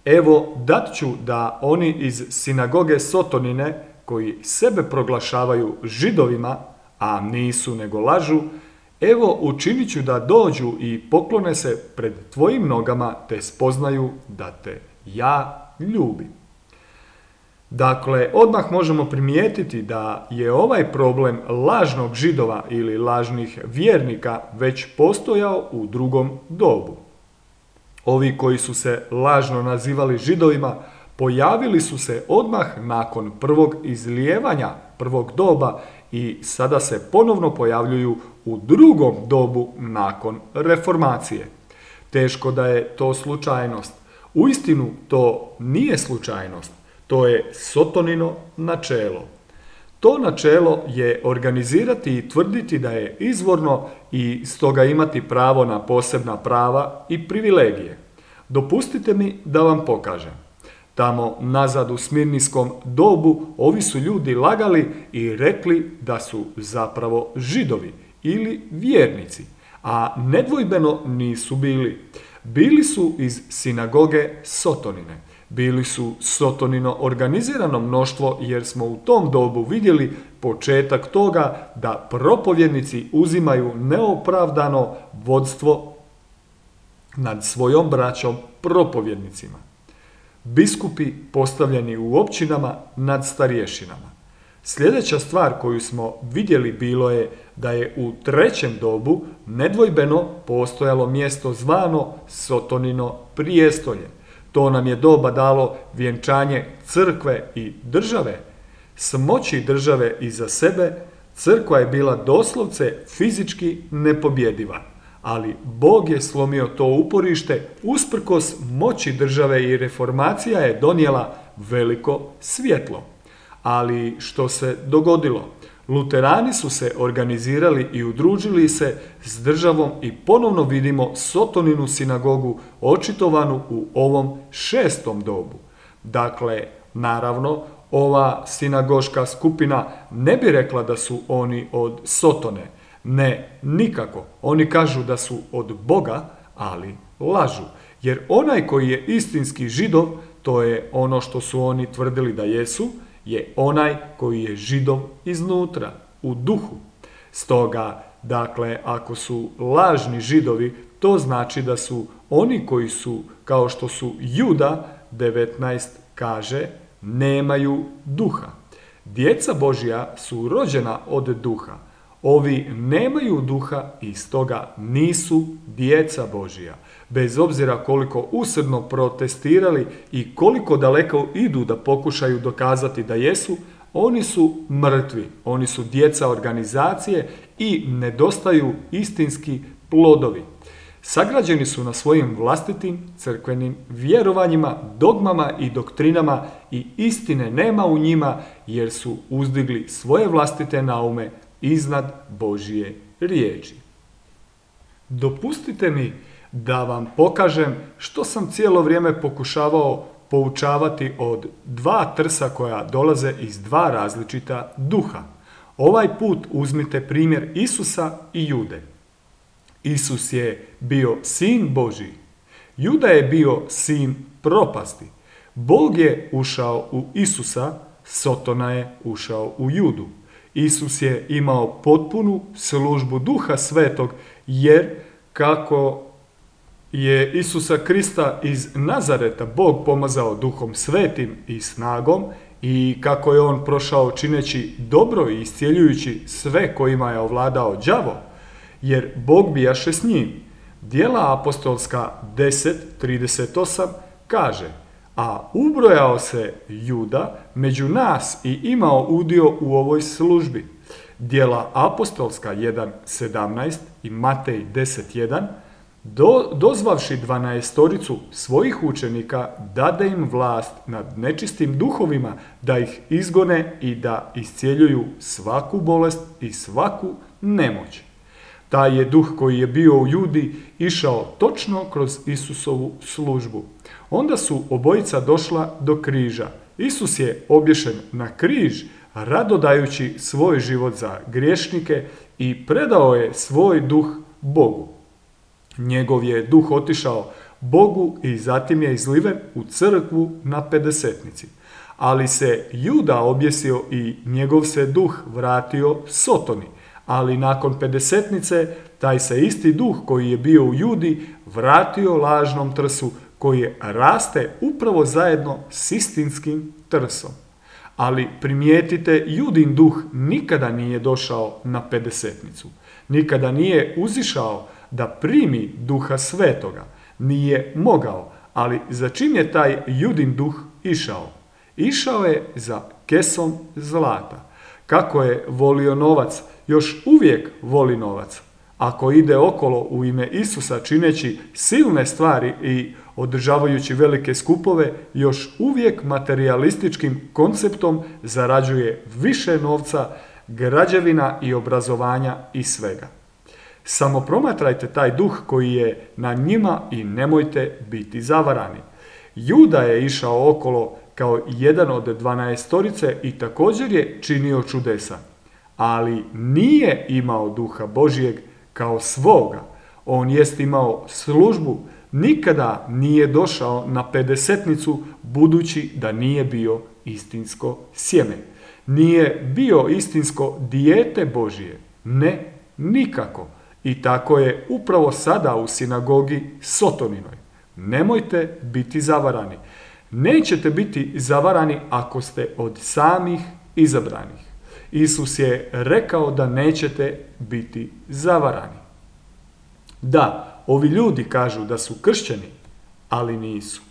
Evo dat ću da oni iz sinagoge Sotonine, koji sebe proglašavaju židovima, a nisu nego lažu, evo učinit ću da dođu i poklone se pred tvojim nogama, te spoznaju da te ja ljubim. Dakle, odmah možemo primijetiti da je ovaj problem lažnog židova ili lažnih vjernika već postojao u drugom dobu. Ovi koji su se lažno nazivali židovima pojavili su se odmah nakon prvog izlijevanja prvog doba i sada se ponovno pojavljuju u drugom dobu nakon reformacije. Teško da je to slučajnost. Uistinu to nije slučajnost. To je Sotonino načelo. To načelo je organizirati i tvrditi da je izvorno i stoga imati pravo na posebna prava i privilegije. Dopustite mi da vam pokažem. Tamo nazad u smirnijskom dobu ovi su ljudi lagali i rekli da su zapravo židovi ili vjernici, a nedvojbeno nisu bili. Bili su iz sinagoge Sotonine. Bili su Sotonino organizirano mnoštvo jer smo u tom dobu vidjeli početak toga da propovjednici uzimaju neopravdano vodstvo nad svojom braćom propovjednicima. Biskupi postavljeni u općinama nad starješinama. Sljedeća stvar koju smo vidjeli bilo je da je u trećem dobu nedvojbeno postojalo mjesto zvano Sotonino prijestolje. To nam je doba dalo vjenčanje crkve i države. S moći države iza sebe, crkva je bila doslovce fizički nepobjediva. Ali Bog je slomio to uporište, usprkos moći države i reformacija je donijela veliko svjetlo. Ali što se dogodilo? Luterani su se organizirali i udružili se s državom i ponovno vidimo Sotoninu sinagogu očitovanu u ovom šestom dobu. Dakle, naravno, ova sinagoška skupina ne bi rekla da su oni od Sotone. Ne, nikako. Oni kažu da su od Boga, ali lažu. Jer onaj koji je istinski židov, to je ono što su oni tvrdili da jesu, je onaj koji je židov iznutra, u duhu. Stoga, dakle, ako su lažni židovi, to znači da su oni koji su, kao što su Juda 19 kaže, nemaju duha. Djeca Božja su rođena od duha. Ovi nemaju duha i stoga nisu djeca Božja. Bez obzira koliko usrdno protestirali i koliko daleko idu da pokušaju dokazati da jesu, oni su mrtvi. Oni su djeca organizacije i nedostaju istinski plodovi. Sagrađeni su na svojim vlastitim crkvenim vjerovanjima, dogmama i doktrinama i istine nema u njima jer su uzdigli svoje vlastite naume iznad Božje riječi. Dopustite mi da vam pokažem što sam cijelo vrijeme pokušavao poučavati od dva trsa koja dolaze iz dva različita duha. Ovaj put uzmite primjer Isusa i Jude. Isus je bio sin Božji. Juda je bio sin propasti. Bog je ušao u Isusa, Sotona je ušao u Judu. Isus je imao potpunu službu Duha Svetog, jer kako je Isusa Krista iz Nazareta Bog pomazao Duhom Svetim i snagom i kako je on prošao čineći dobro i iscjeljujući sve kojima je ovladao đavo, jer Bog bijaše s njim. Djela apostolska 10:38 kaže: a ubrojao se Juda među nas i imao udio u ovoj službi. Djela apostolska 1:17 i Matej 10:1 dozvavši 12 svojih učenika dade im vlast nad nečistim duhovima da ih izgone i da iscjeljuju svaku bolest i svaku nemoć. Taj je duh koji je bio u Judi išao točno kroz Isusovu službu. Onda su obojica došla do križa. Isus je obješen na križ, rado dajući svoj život za griješnike i predao je svoj duh Bogu. Njegov je duh otišao Bogu i zatim je izliven u crkvu na pedesetnici. Ali se Juda objesio i njegov se duh vratio Sotoni. Ali nakon pedesetnice taj se isti duh koji je bio u Judi vratio lažnom trsu koji raste upravo zajedno s istinskim trsom. Ali primijetite, Judin duh nikada nije došao na pedesetnicu. Nikada nije uzišao da primi Duha Svetoga. Nije mogao, ali za čim je taj Judin duh išao? Išao je za kesom zlata. Kako je volio novac, još uvijek voli novac. Ako ide okolo u ime Isusa čineći silne stvari i održavajući velike skupove, još uvijek materialističkim konceptom zarađuje više novca, građevina i obrazovanja i svega. Samo promatrajte taj duh koji je na njima i nemojte biti zavarani. Juda je išao okolo kao jedan od 12 i također je činio čudesa, ali nije imao duha Božijeg kao svoga. On jest imao službu, nikada nije došao na pedesetnicu budući da nije bio istinsko sjeme. Nije bio istinsko dijete Božije. Ne, nikako. I tako je upravo sada u sinagogi Sotoninoj. Nemojte biti zavarani. Nećete biti zavarani ako ste od samih izabranih. Isus je rekao da nećete biti zavarani. Da, ovi ljudi kažu da su kršćani, ali nisu.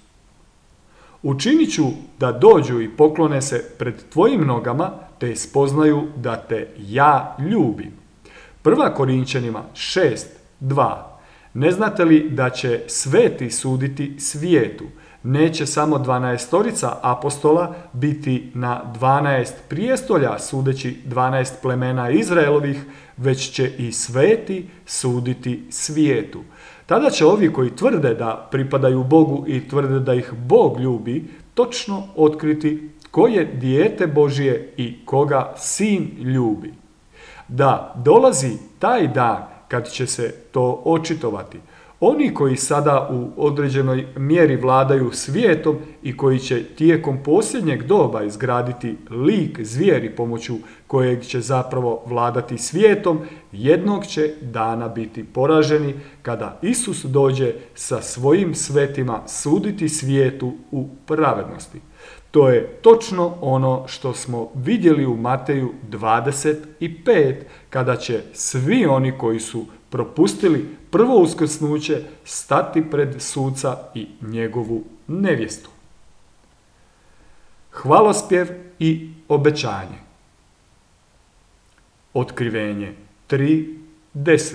Učinit ću da dođu i poklone se pred tvojim nogama, te spoznaju da te ja ljubim. 1. Korinćanima 6:2. Ne znate li da će sveti suditi svijetu? Neće samo 12 apostola biti na 12 prijestolja sudeći 12 plemena Izraelovih, već će i sveti suditi svijetu. Tada će ovi koji tvrde da pripadaju Bogu i tvrde da ih Bog ljubi, točno otkriti ko je dijete Božije i koga sin ljubi. Da, dolazi taj dan kad će se to očitovati. Oni koji sada u određenoj mjeri vladaju svijetom i koji će tijekom posljednjeg doba izgraditi lik zvijeri pomoću kojeg će zapravo vladati svijetom, jednog će dana biti poraženi kada Isus dođe sa svojim svetima suditi svijetu u pravednosti. To je točno ono što smo vidjeli u Mateju 25, kada će svi oni koji su propustili prvo uskrsnuće stati pred suca i njegovu nevjestu. Hvalospjev i obećanje. Otkrivenje 3:10.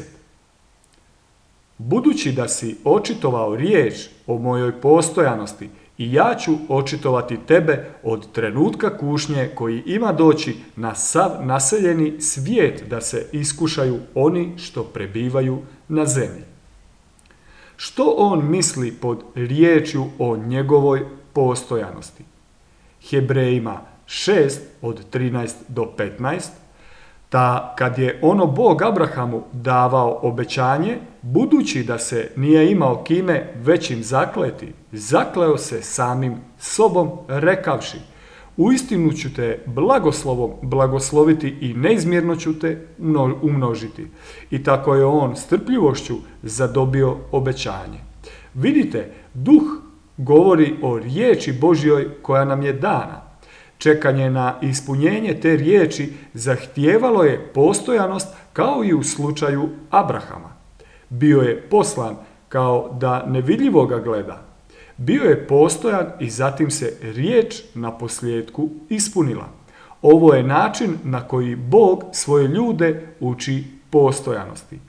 Budući da si očitovao riječ o mojoj postojanosti, i ja ću očitovati tebe od trenutka kušnje koji ima doći na sav naseljeni svijet da se iskušaju oni što prebivaju na zemlji. Što on misli pod riječju o njegovoj postojanosti? Hebrejima 6:13-15. Ta kad je ono Bog Abrahamu davao obećanje, budući da se nije imao kime većim zakleti, zakleo se samim sobom rekavši: uistinu ću te blagoslovom blagosloviti i neizmjerno ću te umnožiti. I tako je on strpljivošću zadobio obećanje. Vidite, duh govori o riječi Božjoj koja nam je dana. Čekanje na ispunjenje te riječi zahtijevalo je postojanost kao i u slučaju Abrahama. Bio je poslan kao da nevidljivo ga gleda. Bio je postojan i zatim se riječ na posljedku ispunila. Ovo je način na koji Bog svoje ljude uči postojanosti.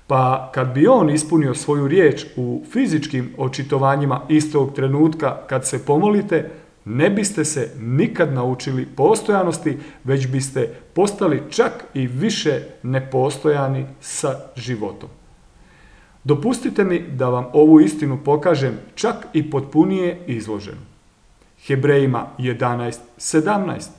Pa kad bi on ispunio svoju riječ u fizičkim očitovanjima istog trenutka kad se pomolite, ne biste se nikad naučili postojanosti, već biste postali čak i više nepostojani sa životom. Dopustite mi da vam ovu istinu pokažem čak i potpunije izloženu. Hebrejima 11:17.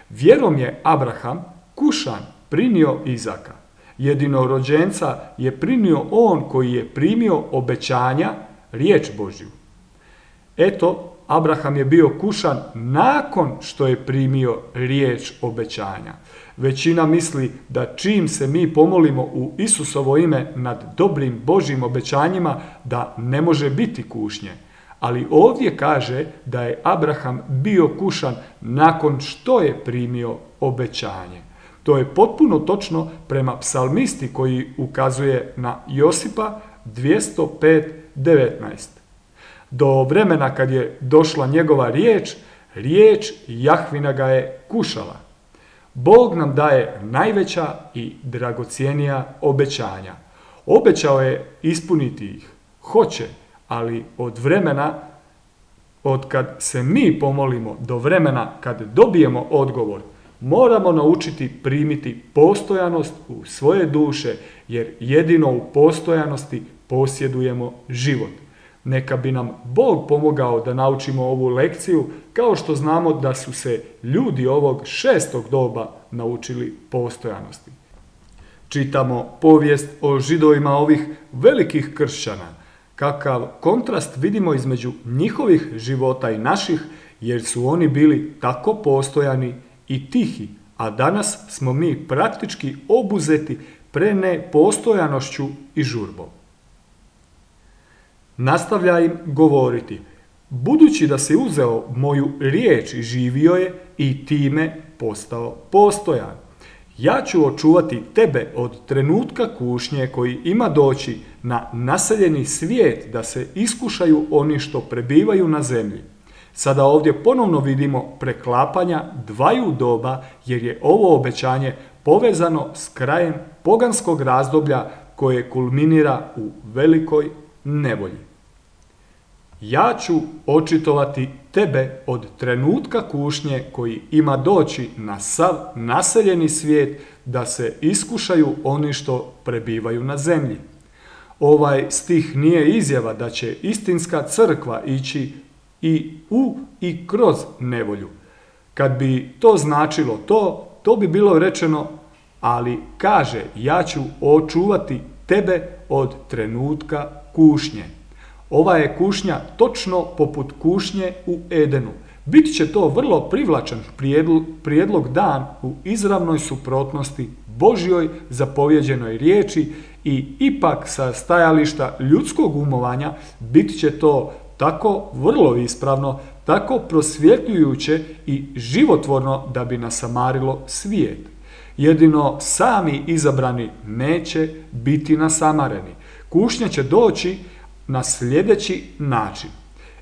Vjerom je Abraham, kušan, primio Izaka. Jedinorođenca je primio on koji je primio obećanja, riječ Božju. Eto, Abraham je bio kušan nakon što je primio riječ obećanja. Većina misli da čim se mi pomolimo u Isusovo ime nad dobrim Božjim obećanjima, da ne može biti kušnje. Ali ovdje kaže da je Abraham bio kušan nakon što je primio obećanje. To je potpuno točno prema psalmisti koji ukazuje na Josipa 205:19. Do vremena kad je došla njegova riječ Jahvina ga je kušala. Bog nam daje najveća i dragocjenija obećanja. Obećao je ispuniti ih. Hoće, ali od kad se mi pomolimo do vremena kad dobijemo odgovor, moramo naučiti primiti postojanost u svoje duše, jer jedino u postojanosti posjedujemo život. Neka bi nam Bog pomogao da naučimo ovu lekciju, kao što znamo da su se ljudi ovog 6. doba naučili postojanosti. Čitamo povijest o Židovima ovih velikih kršćana. Kakav kontrast vidimo između njihovih života i naših, jer su oni bili tako postojani i tihi, a danas smo mi praktički obuzeti prenepostojanošću i žurbom. Nastavlja im govoriti: budući da si uzeo moju riječ i živio je i time postao postojan, ja ću očuvati tebe od trenutka kušnje koji ima doći na naseljeni svijet da se iskušaju oni što prebivaju na zemlji. Sada ovdje ponovno vidimo preklapanja dvaju doba, jer je ovo obećanje povezano s krajem poganskog razdoblja koje kulminira u velikoj nevolji. Ja ću očitovati tebe od trenutka kušnje koji ima doći na sav naseljeni svijet da se iskušaju oni što prebivaju na zemlji. Ovaj stih nije izjava da će istinska crkva ići i u i kroz nevolju. Kad bi to značilo to bi bilo rečeno, ali kaže: ja ću očuvati tebe od trenutka kušnje. Ova je kušnja točno poput kušnje u Edenu. Bit će to vrlo privlačan prijedlog dan u izravnoj suprotnosti Božjoj zapovjeđenoj riječi i ipak sa stajališta ljudskog umovanja bit će to tako vrlo ispravno, tako prosvjetljujuće i životvorno da bi nasamarilo svijet. Jedino sami izabrani neće biti nasamareni. Kušnja će doći na sljedeći način.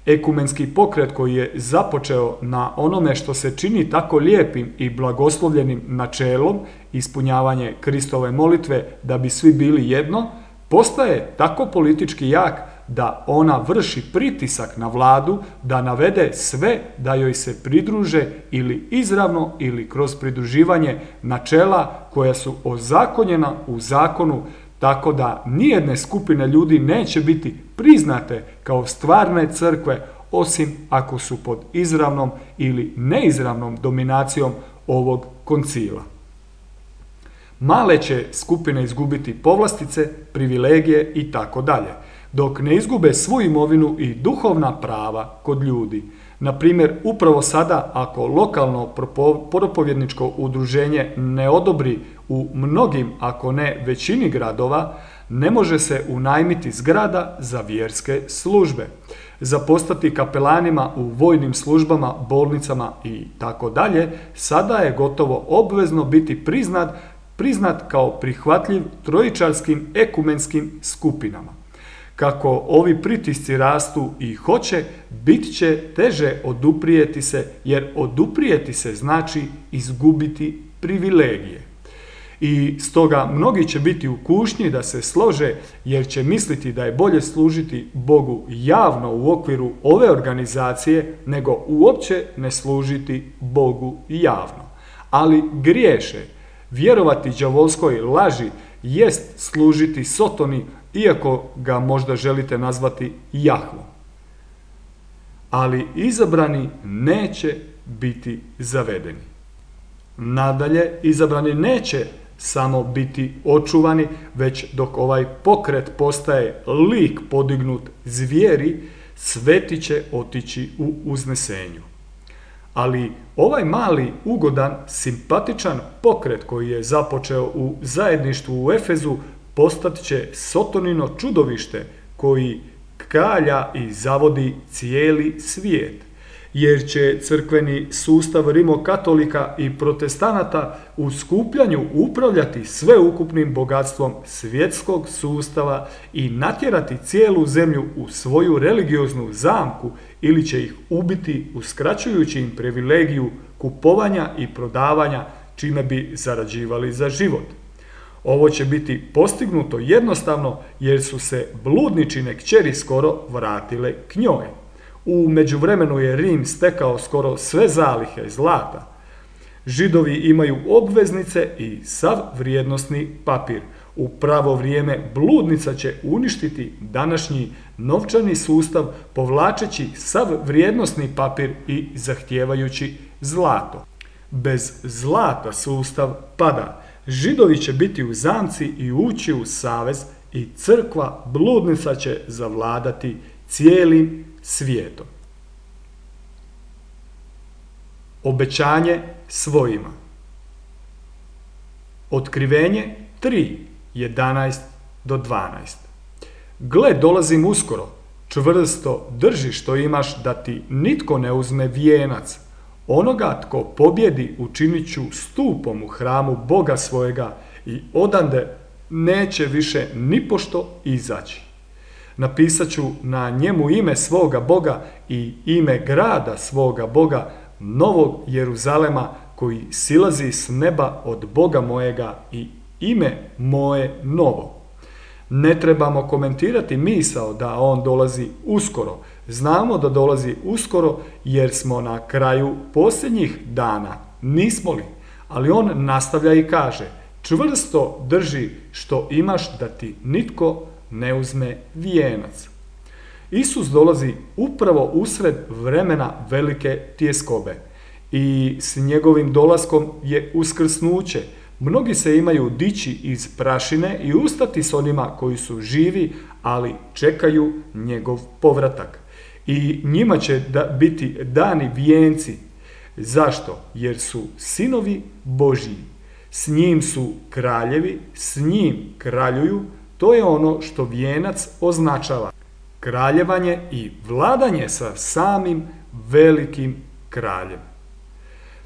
Ekumenski pokret koji je započeo na onome što se čini tako lijepim i blagoslovljenim načelom, ispunjavanje Kristove molitve da bi svi bili jedno, postaje tako politički jak da ona vrši pritisak na vladu da navede sve da joj se pridruže ili izravno ili kroz pridruživanje načela koja su ozakonjena u zakonu, tako da nijedne skupine ljudi neće biti priznate kao stvarne crkve, osim ako su pod izravnom ili neizravnom dominacijom ovog koncila. Male će skupine izgubiti povlastice, privilegije i tako dalje, dok ne izgube svu imovinu i duhovna prava kod ljudi. Na primjer, upravo sada, ako lokalno propovjedničko udruženje ne odobri u mnogim, ako ne većini gradova, Ne može se unajmiti zgrada za vjerske službe. Za postati kapelanima u vojnim službama, bolnicama i tako dalje, sada je gotovo obvezno biti priznat kao prihvatljiv trojičarskim ekumenskim skupinama. Kako ovi pritisci rastu i hoće, bit će teže oduprijeti se, jer oduprijeti se znači izgubiti privilegije. I stoga mnogi će biti u kušnji da se slože, jer će misliti da je bolje služiti Bogu javno u okviru ove organizacije nego uopće ne služiti Bogu javno. Ali griješe. Vjerovati đavolskoj laži jest služiti Sotoni, iako ga možda želite nazvati Jahvom. Ali izabrani neće biti zavedeni. Nadalje, izabrani neće samo biti očuvani, već dok ovaj pokret postaje lik podignut zvijeri, sveti će otići u uznesenju. Ali ovaj mali, ugodan, simpatičan pokret koji je započeo u zajedništvu u Efezu postat će Sotonino čudovište koji kalja i zavodi cijeli svijet. Jer će crkveni sustav rimokatolika i protestanata u skupljanju upravljati sveukupnim bogatstvom svjetskog sustava i natjerati cijelu zemlju u svoju religioznu zamku ili će ih ubiti uskraćujući im privilegiju kupovanja i prodavanja čime bi zarađivali za život. Ovo će biti postignuto jednostavno jer su se bludničine kćeri skoro vratile k njoj. U međuvremenu je Rim stekao skoro sve zalihe zlata. Židovi imaju obveznice i sav vrijednosni papir. U pravo vrijeme bludnica će uništiti današnji novčani sustav povlačeći sav vrijednosni papir i zahtijevajući zlato. Bez zlata sustav pada. Židovi će biti u zamci i ući u savez i crkva bludnica će zavladati cijelim svijetom. Obećanje svojima. Otkrivenje 3:11-12. Gle, dolazim uskoro, čvrsto drži što imaš da ti nitko ne uzme vijenac. Onoga tko pobjedi učinit ću stupom u hramu Boga svojega i odande neće više nipošto izaći. Napisat ću na njemu ime svoga Boga i ime grada svoga Boga, Novog Jeruzalema, koji silazi s neba od Boga mojega i ime moje novo. Ne trebamo komentirati misao da on dolazi uskoro. Znamo da dolazi uskoro jer smo na kraju posljednjih dana, nismo li? Ali on nastavlja i kaže, čvrsto drži što imaš da ti nitko ne uzme vijenac. Isus dolazi upravo usred vremena velike tjeskobe i s njegovim dolaskom je uskrsnuće. Mnogi se imaju dići iz prašine i ustati s onima koji su živi, ali čekaju njegov povratak. I njima će biti dani vijenci. Zašto? Jer su sinovi Božji. S njim su kraljevi, s njim kraljuju. To je ono što vijenac označava. Kraljevanje i vladanje sa samim velikim kraljem.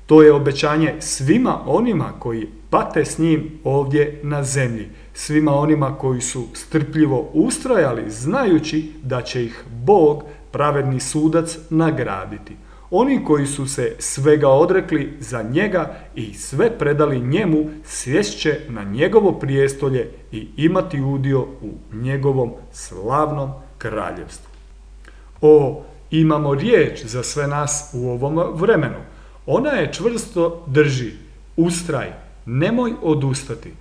To je obećanje svima onima koji pate s njim ovdje na zemlji. Svima onima koji su strpljivo ustrajali znajući da će ih Bog, pravedni sudac, nagraditi. Oni koji su se svega odrekli za njega i sve predali njemu, sjest će na njegovo prijestolje i imati udio u njegovom slavnom kraljevstvu. O, imamo riječ za sve nas u ovom vremenu. Ona je čvrsto drži, ustraj, nemoj odustati.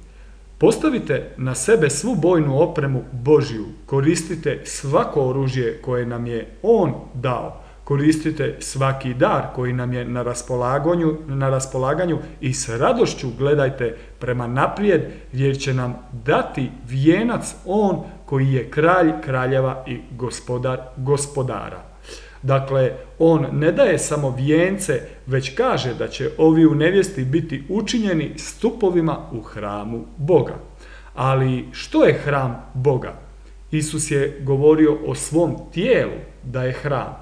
Postavite na sebe svu bojnu opremu Božju, koristite svako oružje koje nam je On dao, koristite svaki dar koji nam je na raspolaganju i s radošću gledajte prema naprijed jer će nam dati vijenac On koji je kralj kraljeva i gospodar gospodara. Dakle, on ne daje samo vijence, već kaže da će ovi u nevjesti biti učinjeni stupovima u hramu Boga. Ali što je hram Boga? Isus je govorio o svom tijelu da je hram.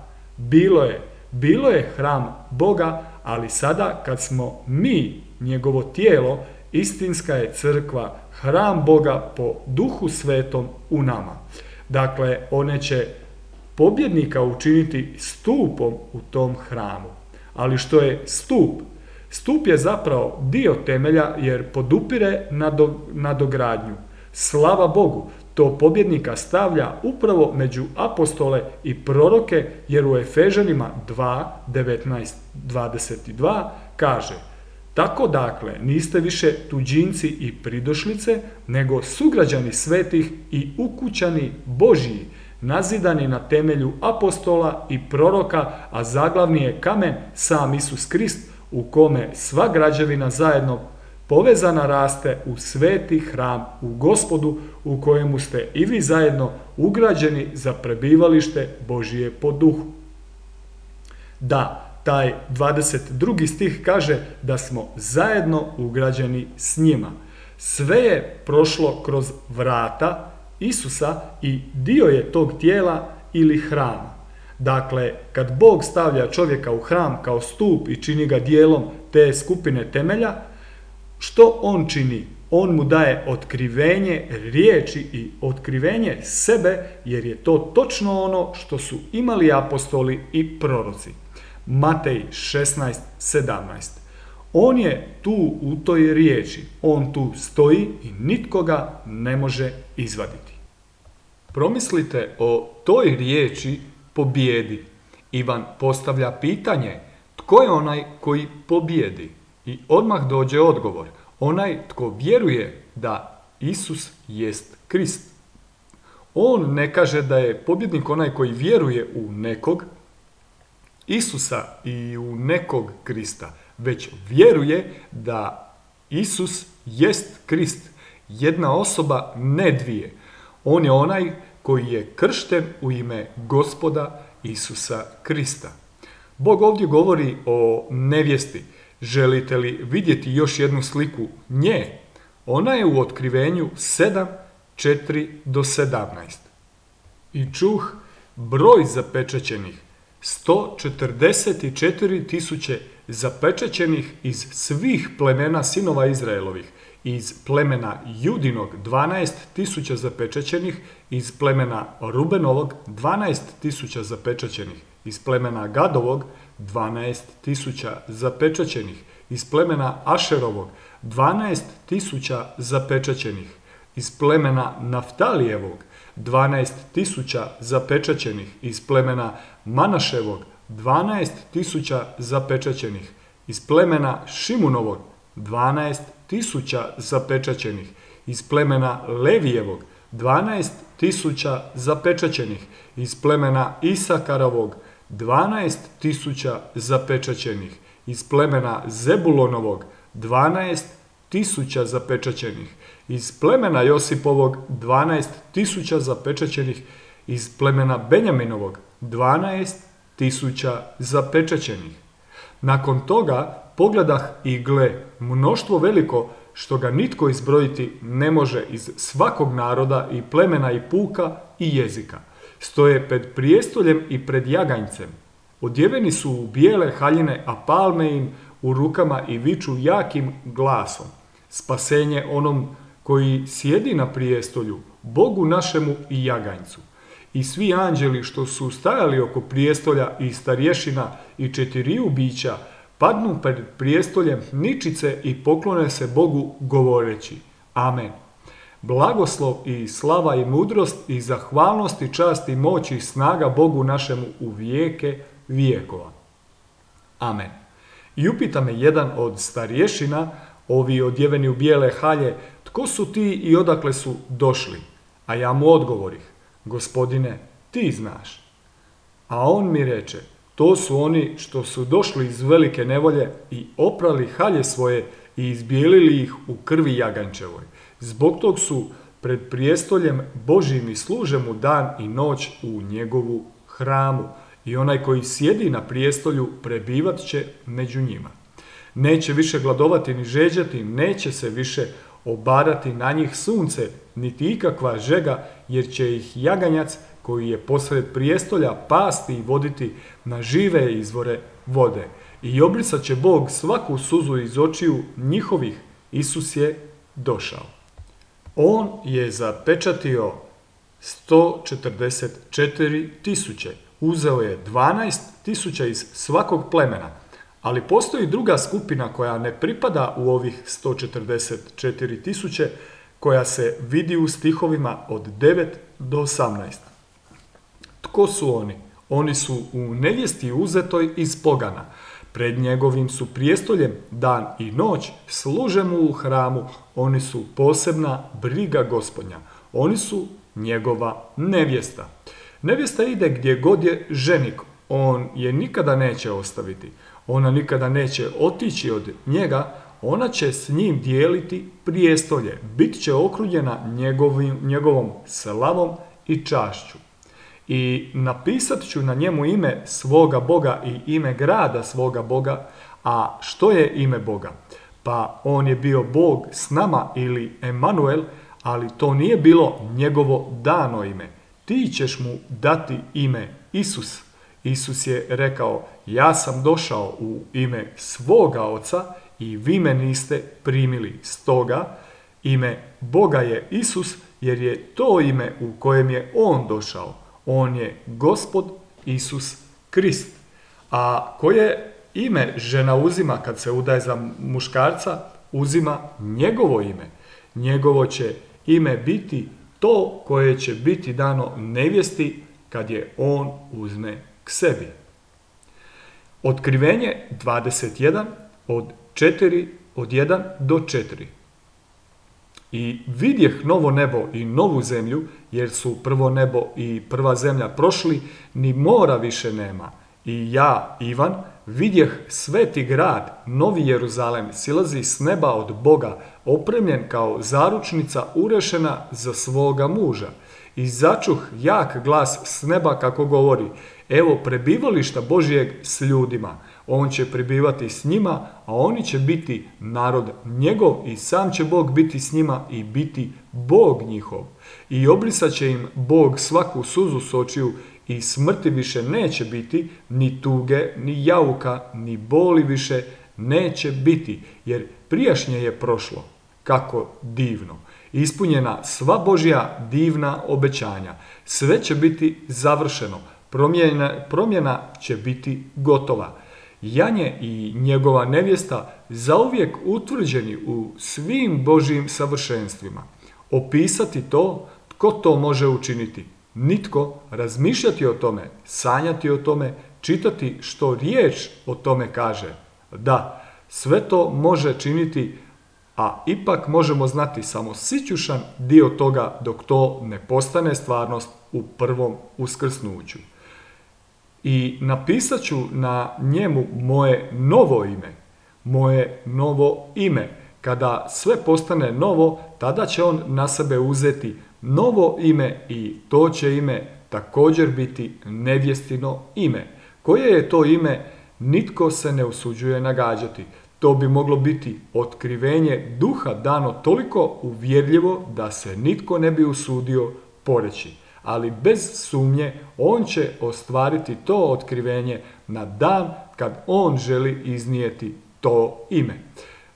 Bilo je hram Boga, ali sada kad smo mi njegovo tijelo, istinska je crkva hram Boga po Duhu Svetom u nama. Dakle, one će pobjednika učiniti stupom u tom hramu. Ali što je stup? Stup je zapravo dio temelja jer podupire nadogradnju. Slava Bogu, to pobjednika stavlja upravo među apostole i proroke, jer u Efežanima 2, 19, 22 kaže: tako dakle, niste više tuđinci i pridošlice, nego sugrađani svetih i ukućani Božji, nazidani na temelju apostola i proroka, a zaglavni je kamen sam Isus Krist, u kome sva građevina zajedno povezana raste u sveti hram u Gospodu, u kojemu ste i vi zajedno ugrađeni za prebivalište Božije po duhu. Da, taj 22. stih kaže da smo zajedno ugrađeni s njima. Sve je prošlo kroz vrata Isusa i dio je tog tijela ili hrama. Dakle, kad Bog stavlja čovjeka u hram kao stup i čini ga dijelom te skupine temelja, što on čini? On mu daje otkrivenje riječi i otkrivenje sebe, jer je to točno ono što su imali apostoli i proroci. Matej 16:17. On je tu u toj riječi, on tu stoji i nitko ga ne može izvaditi. Promislite o toj riječi pobjedi. Ivan postavlja pitanje: tko je onaj koji pobjedi? I odmah dođe odgovor: onaj tko vjeruje da Isus jest Krist. On ne kaže da je pobjednik onaj koji vjeruje u nekog Isusa i u nekog Krista, već vjeruje da Isus jest Krist, jedna osoba, ne dvije. On je onaj koji je kršten u ime Gospoda Isusa Krista. Bog ovdje govori o nevjesti. Želite li vidjeti još jednu sliku nje? Ona je u Otkrivenju 7, 4 do 17. I čuh broj zapečaćenih, 144.000 zapečaćenih iz svih plemena sinova Izraelovih, iz plemena Judinog 12.000 zapečaćenih, iz plemena Rubenovog 12.000 zapečaćenih, iz plemena Gadovog 12.000 zapečaćenih, iz plemena Ašerovog 12.000 zapečaćenih, iz plemena Naftalijevog 12.000 zapečaćenih, iz plemena Manaševog 12.000 zapečaćenih, iz plemena Šimunovog 12.000 zapečaćenih, iz plemena Levijevog 12.000 zapečaćenih, iz plemena Isakarovog 12.000 zapečaćenih, iz plemena Zebulonovog 12.000 zapečaćenih, iz plemena Josipovog 12.000 zapečaćenih, iz plemena Benjaminovog 12.000 zapečaćenih. Nakon toga pogledah i gle, mnoštvo veliko što ga nitko izbrojiti ne može, iz svakog naroda i plemena i puka i jezika. Stoje pred prijestoljem i pred jaganjcem. Odjeveni su u bijele haljine, a palme im u rukama i viču jakim glasom: spasenje onom koji sjedi na prijestolju, Bogu našemu i jaganjcu. I svi anđeli što su stajali oko prijestolja i starješina i 4 bića padnu pred prijestoljem ničice i poklone se Bogu govoreći: Amen. Blagoslov i slava i mudrost i zahvalnost i čast i moć i snaga Bogu našemu u vijeke vijekova. Amen. I upita me jedan od starješina, ovi odjeveni u bijele halje, tko su ti i odakle su došli? A ja mu odgovorih: Gospodine, ti znaš. A on mi reče: to su oni što su došli iz velike nevolje i oprali halje svoje i izbijelili ih u krvi jaganjčevoj. Zbog tog su pred prijestoljem Božjim i služe mu dan i noć u njegovu hramu. I onaj koji sjedi na prijestolju prebivat će među njima. Neće više gladovati ni žeđati, neće se više obarati na njih sunce, niti ikakva žega, jer će ih jaganjac koji je posred prijestolja pasti i voditi na žive izvore vode. I obrisat će Bog svaku suzu iz očiju njihovih. Isus je došao. On je zapečatio 144.000. Uzeo je 12.000 iz svakog plemena. Ali postoji druga skupina koja ne pripada u ovih 144.000, koja se vidi u stihovima od 9 do 18. Tko su oni? Oni su u nevjesti uzetoj iz pogana. Pred njegovim su prijestoljem dan i noć, služe mu u hramu, oni su posebna briga Gospodnja. Oni su njegova nevjesta. Nevjesta ide gdje god je ženik, on je nikada neće ostaviti. Ona nikada neće otići od njega, ona će s njim dijeliti prijestolje, bit će okružena njegovom slavom i čašću. I napisat ću na njemu ime svoga Boga i ime grada svoga Boga. A što je ime Boga? Pa on je bio Bog s nama ili Emanuel, ali to nije bilo njegovo dano ime. Ti ćeš mu dati ime Isus. Isus je rekao, ja sam došao u ime svoga Oca i vi me niste primili. Stoga ime Boga je Isus, jer je to ime u kojem je on došao. On je Gospod Isus Krist. A koje ime žena uzima kad se udaje za muškarca? Uzima njegovo ime. Njegovo će ime biti to koje će biti dano nevjesti kad je on uzme k sebi. Otkrivenje 21 od 1 do 4. I vidjeh novo nebo i novu zemlju, jer su prvo nebo i prva zemlja prošli, ni mora više nema. I ja, Ivan, vidjeh sveti grad, novi Jeruzalem, silazi s neba od Boga, opremljen kao zaručnica urešena za svoga muža. I začuh jak glas s neba kako govori, evo prebivališta Božijeg s ljudima. On će prebivati s njima, a oni će biti narod njegov i sam će Bog biti s njima i biti Bog njihov. I obrisat će im Bog svaku suzu s očiju i smrti više neće biti, ni tuge, ni jauka, ni boli više neće biti, jer prijašnje je prošlo. Kako divno! Ispunjena sva Božja divna obećanja. Sve će biti završeno. Promjena će biti gotova. Janje i njegova nevjesta zauvijek utvrđeni u svim Božjim savršenstvima. Opisati to, tko to može učiniti? Nitko. Razmišljati o tome, sanjati o tome, čitati što riječ o tome kaže. Da, sve to može činiti, a ipak možemo znati samo sićušan dio toga dok to ne postane stvarnost u prvom uskrsnuću. I napisat ću na njemu moje novo ime. Kada sve postane novo, tada će on na sebe uzeti novo ime i to će ime također biti nevjestino ime. Koje je to ime, nitko se ne usuđuje nagađati. To bi moglo biti otkrivenje duha dano toliko uvjerljivo da se nitko ne bi usudio poreći. Ali bez sumnje on će ostvariti to otkrivenje na dan kad on želi iznijeti to ime.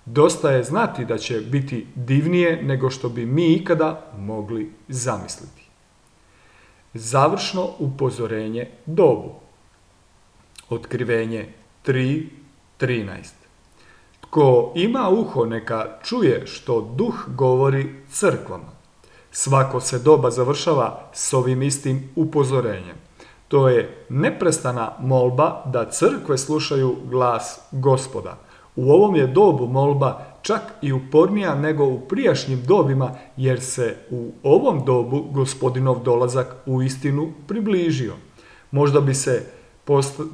Dosta je znati da će biti divnije nego što bi mi ikada mogli zamisliti. Završno upozorenje dobu. Otkrivenje 3.13. Tko ima uho neka čuje što duh govori crkvama. Svako se doba završava s ovim istim upozorenjem. To je neprestana molba da crkve slušaju glas Gospoda. U ovom je dobu molba čak i upornija nego u prijašnjim dobima, jer se u ovom dobu Gospodinov dolazak uistinu približio. Možda bi se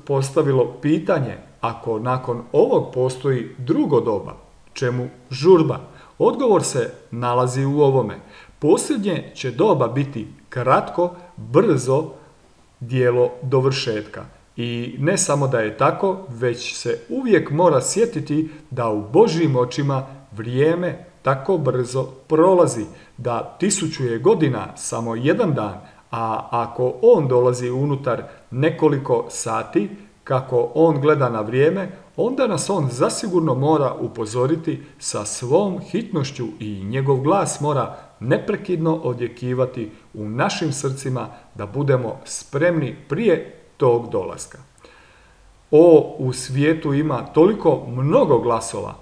postavilo pitanje, ako nakon ovog postoji drugo doba, čemu žurba? Odgovor se nalazi u ovome. Posljednje će doba biti kratko, brzo djelo dovršetka. I ne samo da je tako, već se uvijek mora sjetiti da u Božjim očima vrijeme tako brzo prolazi da 1000 je godina samo jedan dan, a ako on dolazi unutar nekoliko sati, kako on gleda na vrijeme, onda nas on zasigurno mora upozoriti sa svom hitnošću i njegov glas mora neprekidno odjekivati u našim srcima da budemo spremni prije tog dolaska. U svijetu ima toliko mnogo glasova,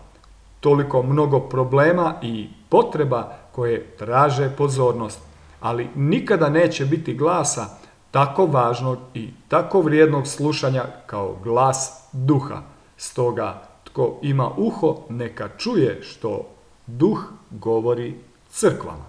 toliko mnogo problema i potreba koje traže pozornost, ali nikada neće biti glasa tako važnog i tako vrijednog slušanja kao glas duha. Stoga, tko ima uho, neka čuje što duh govori crkvama.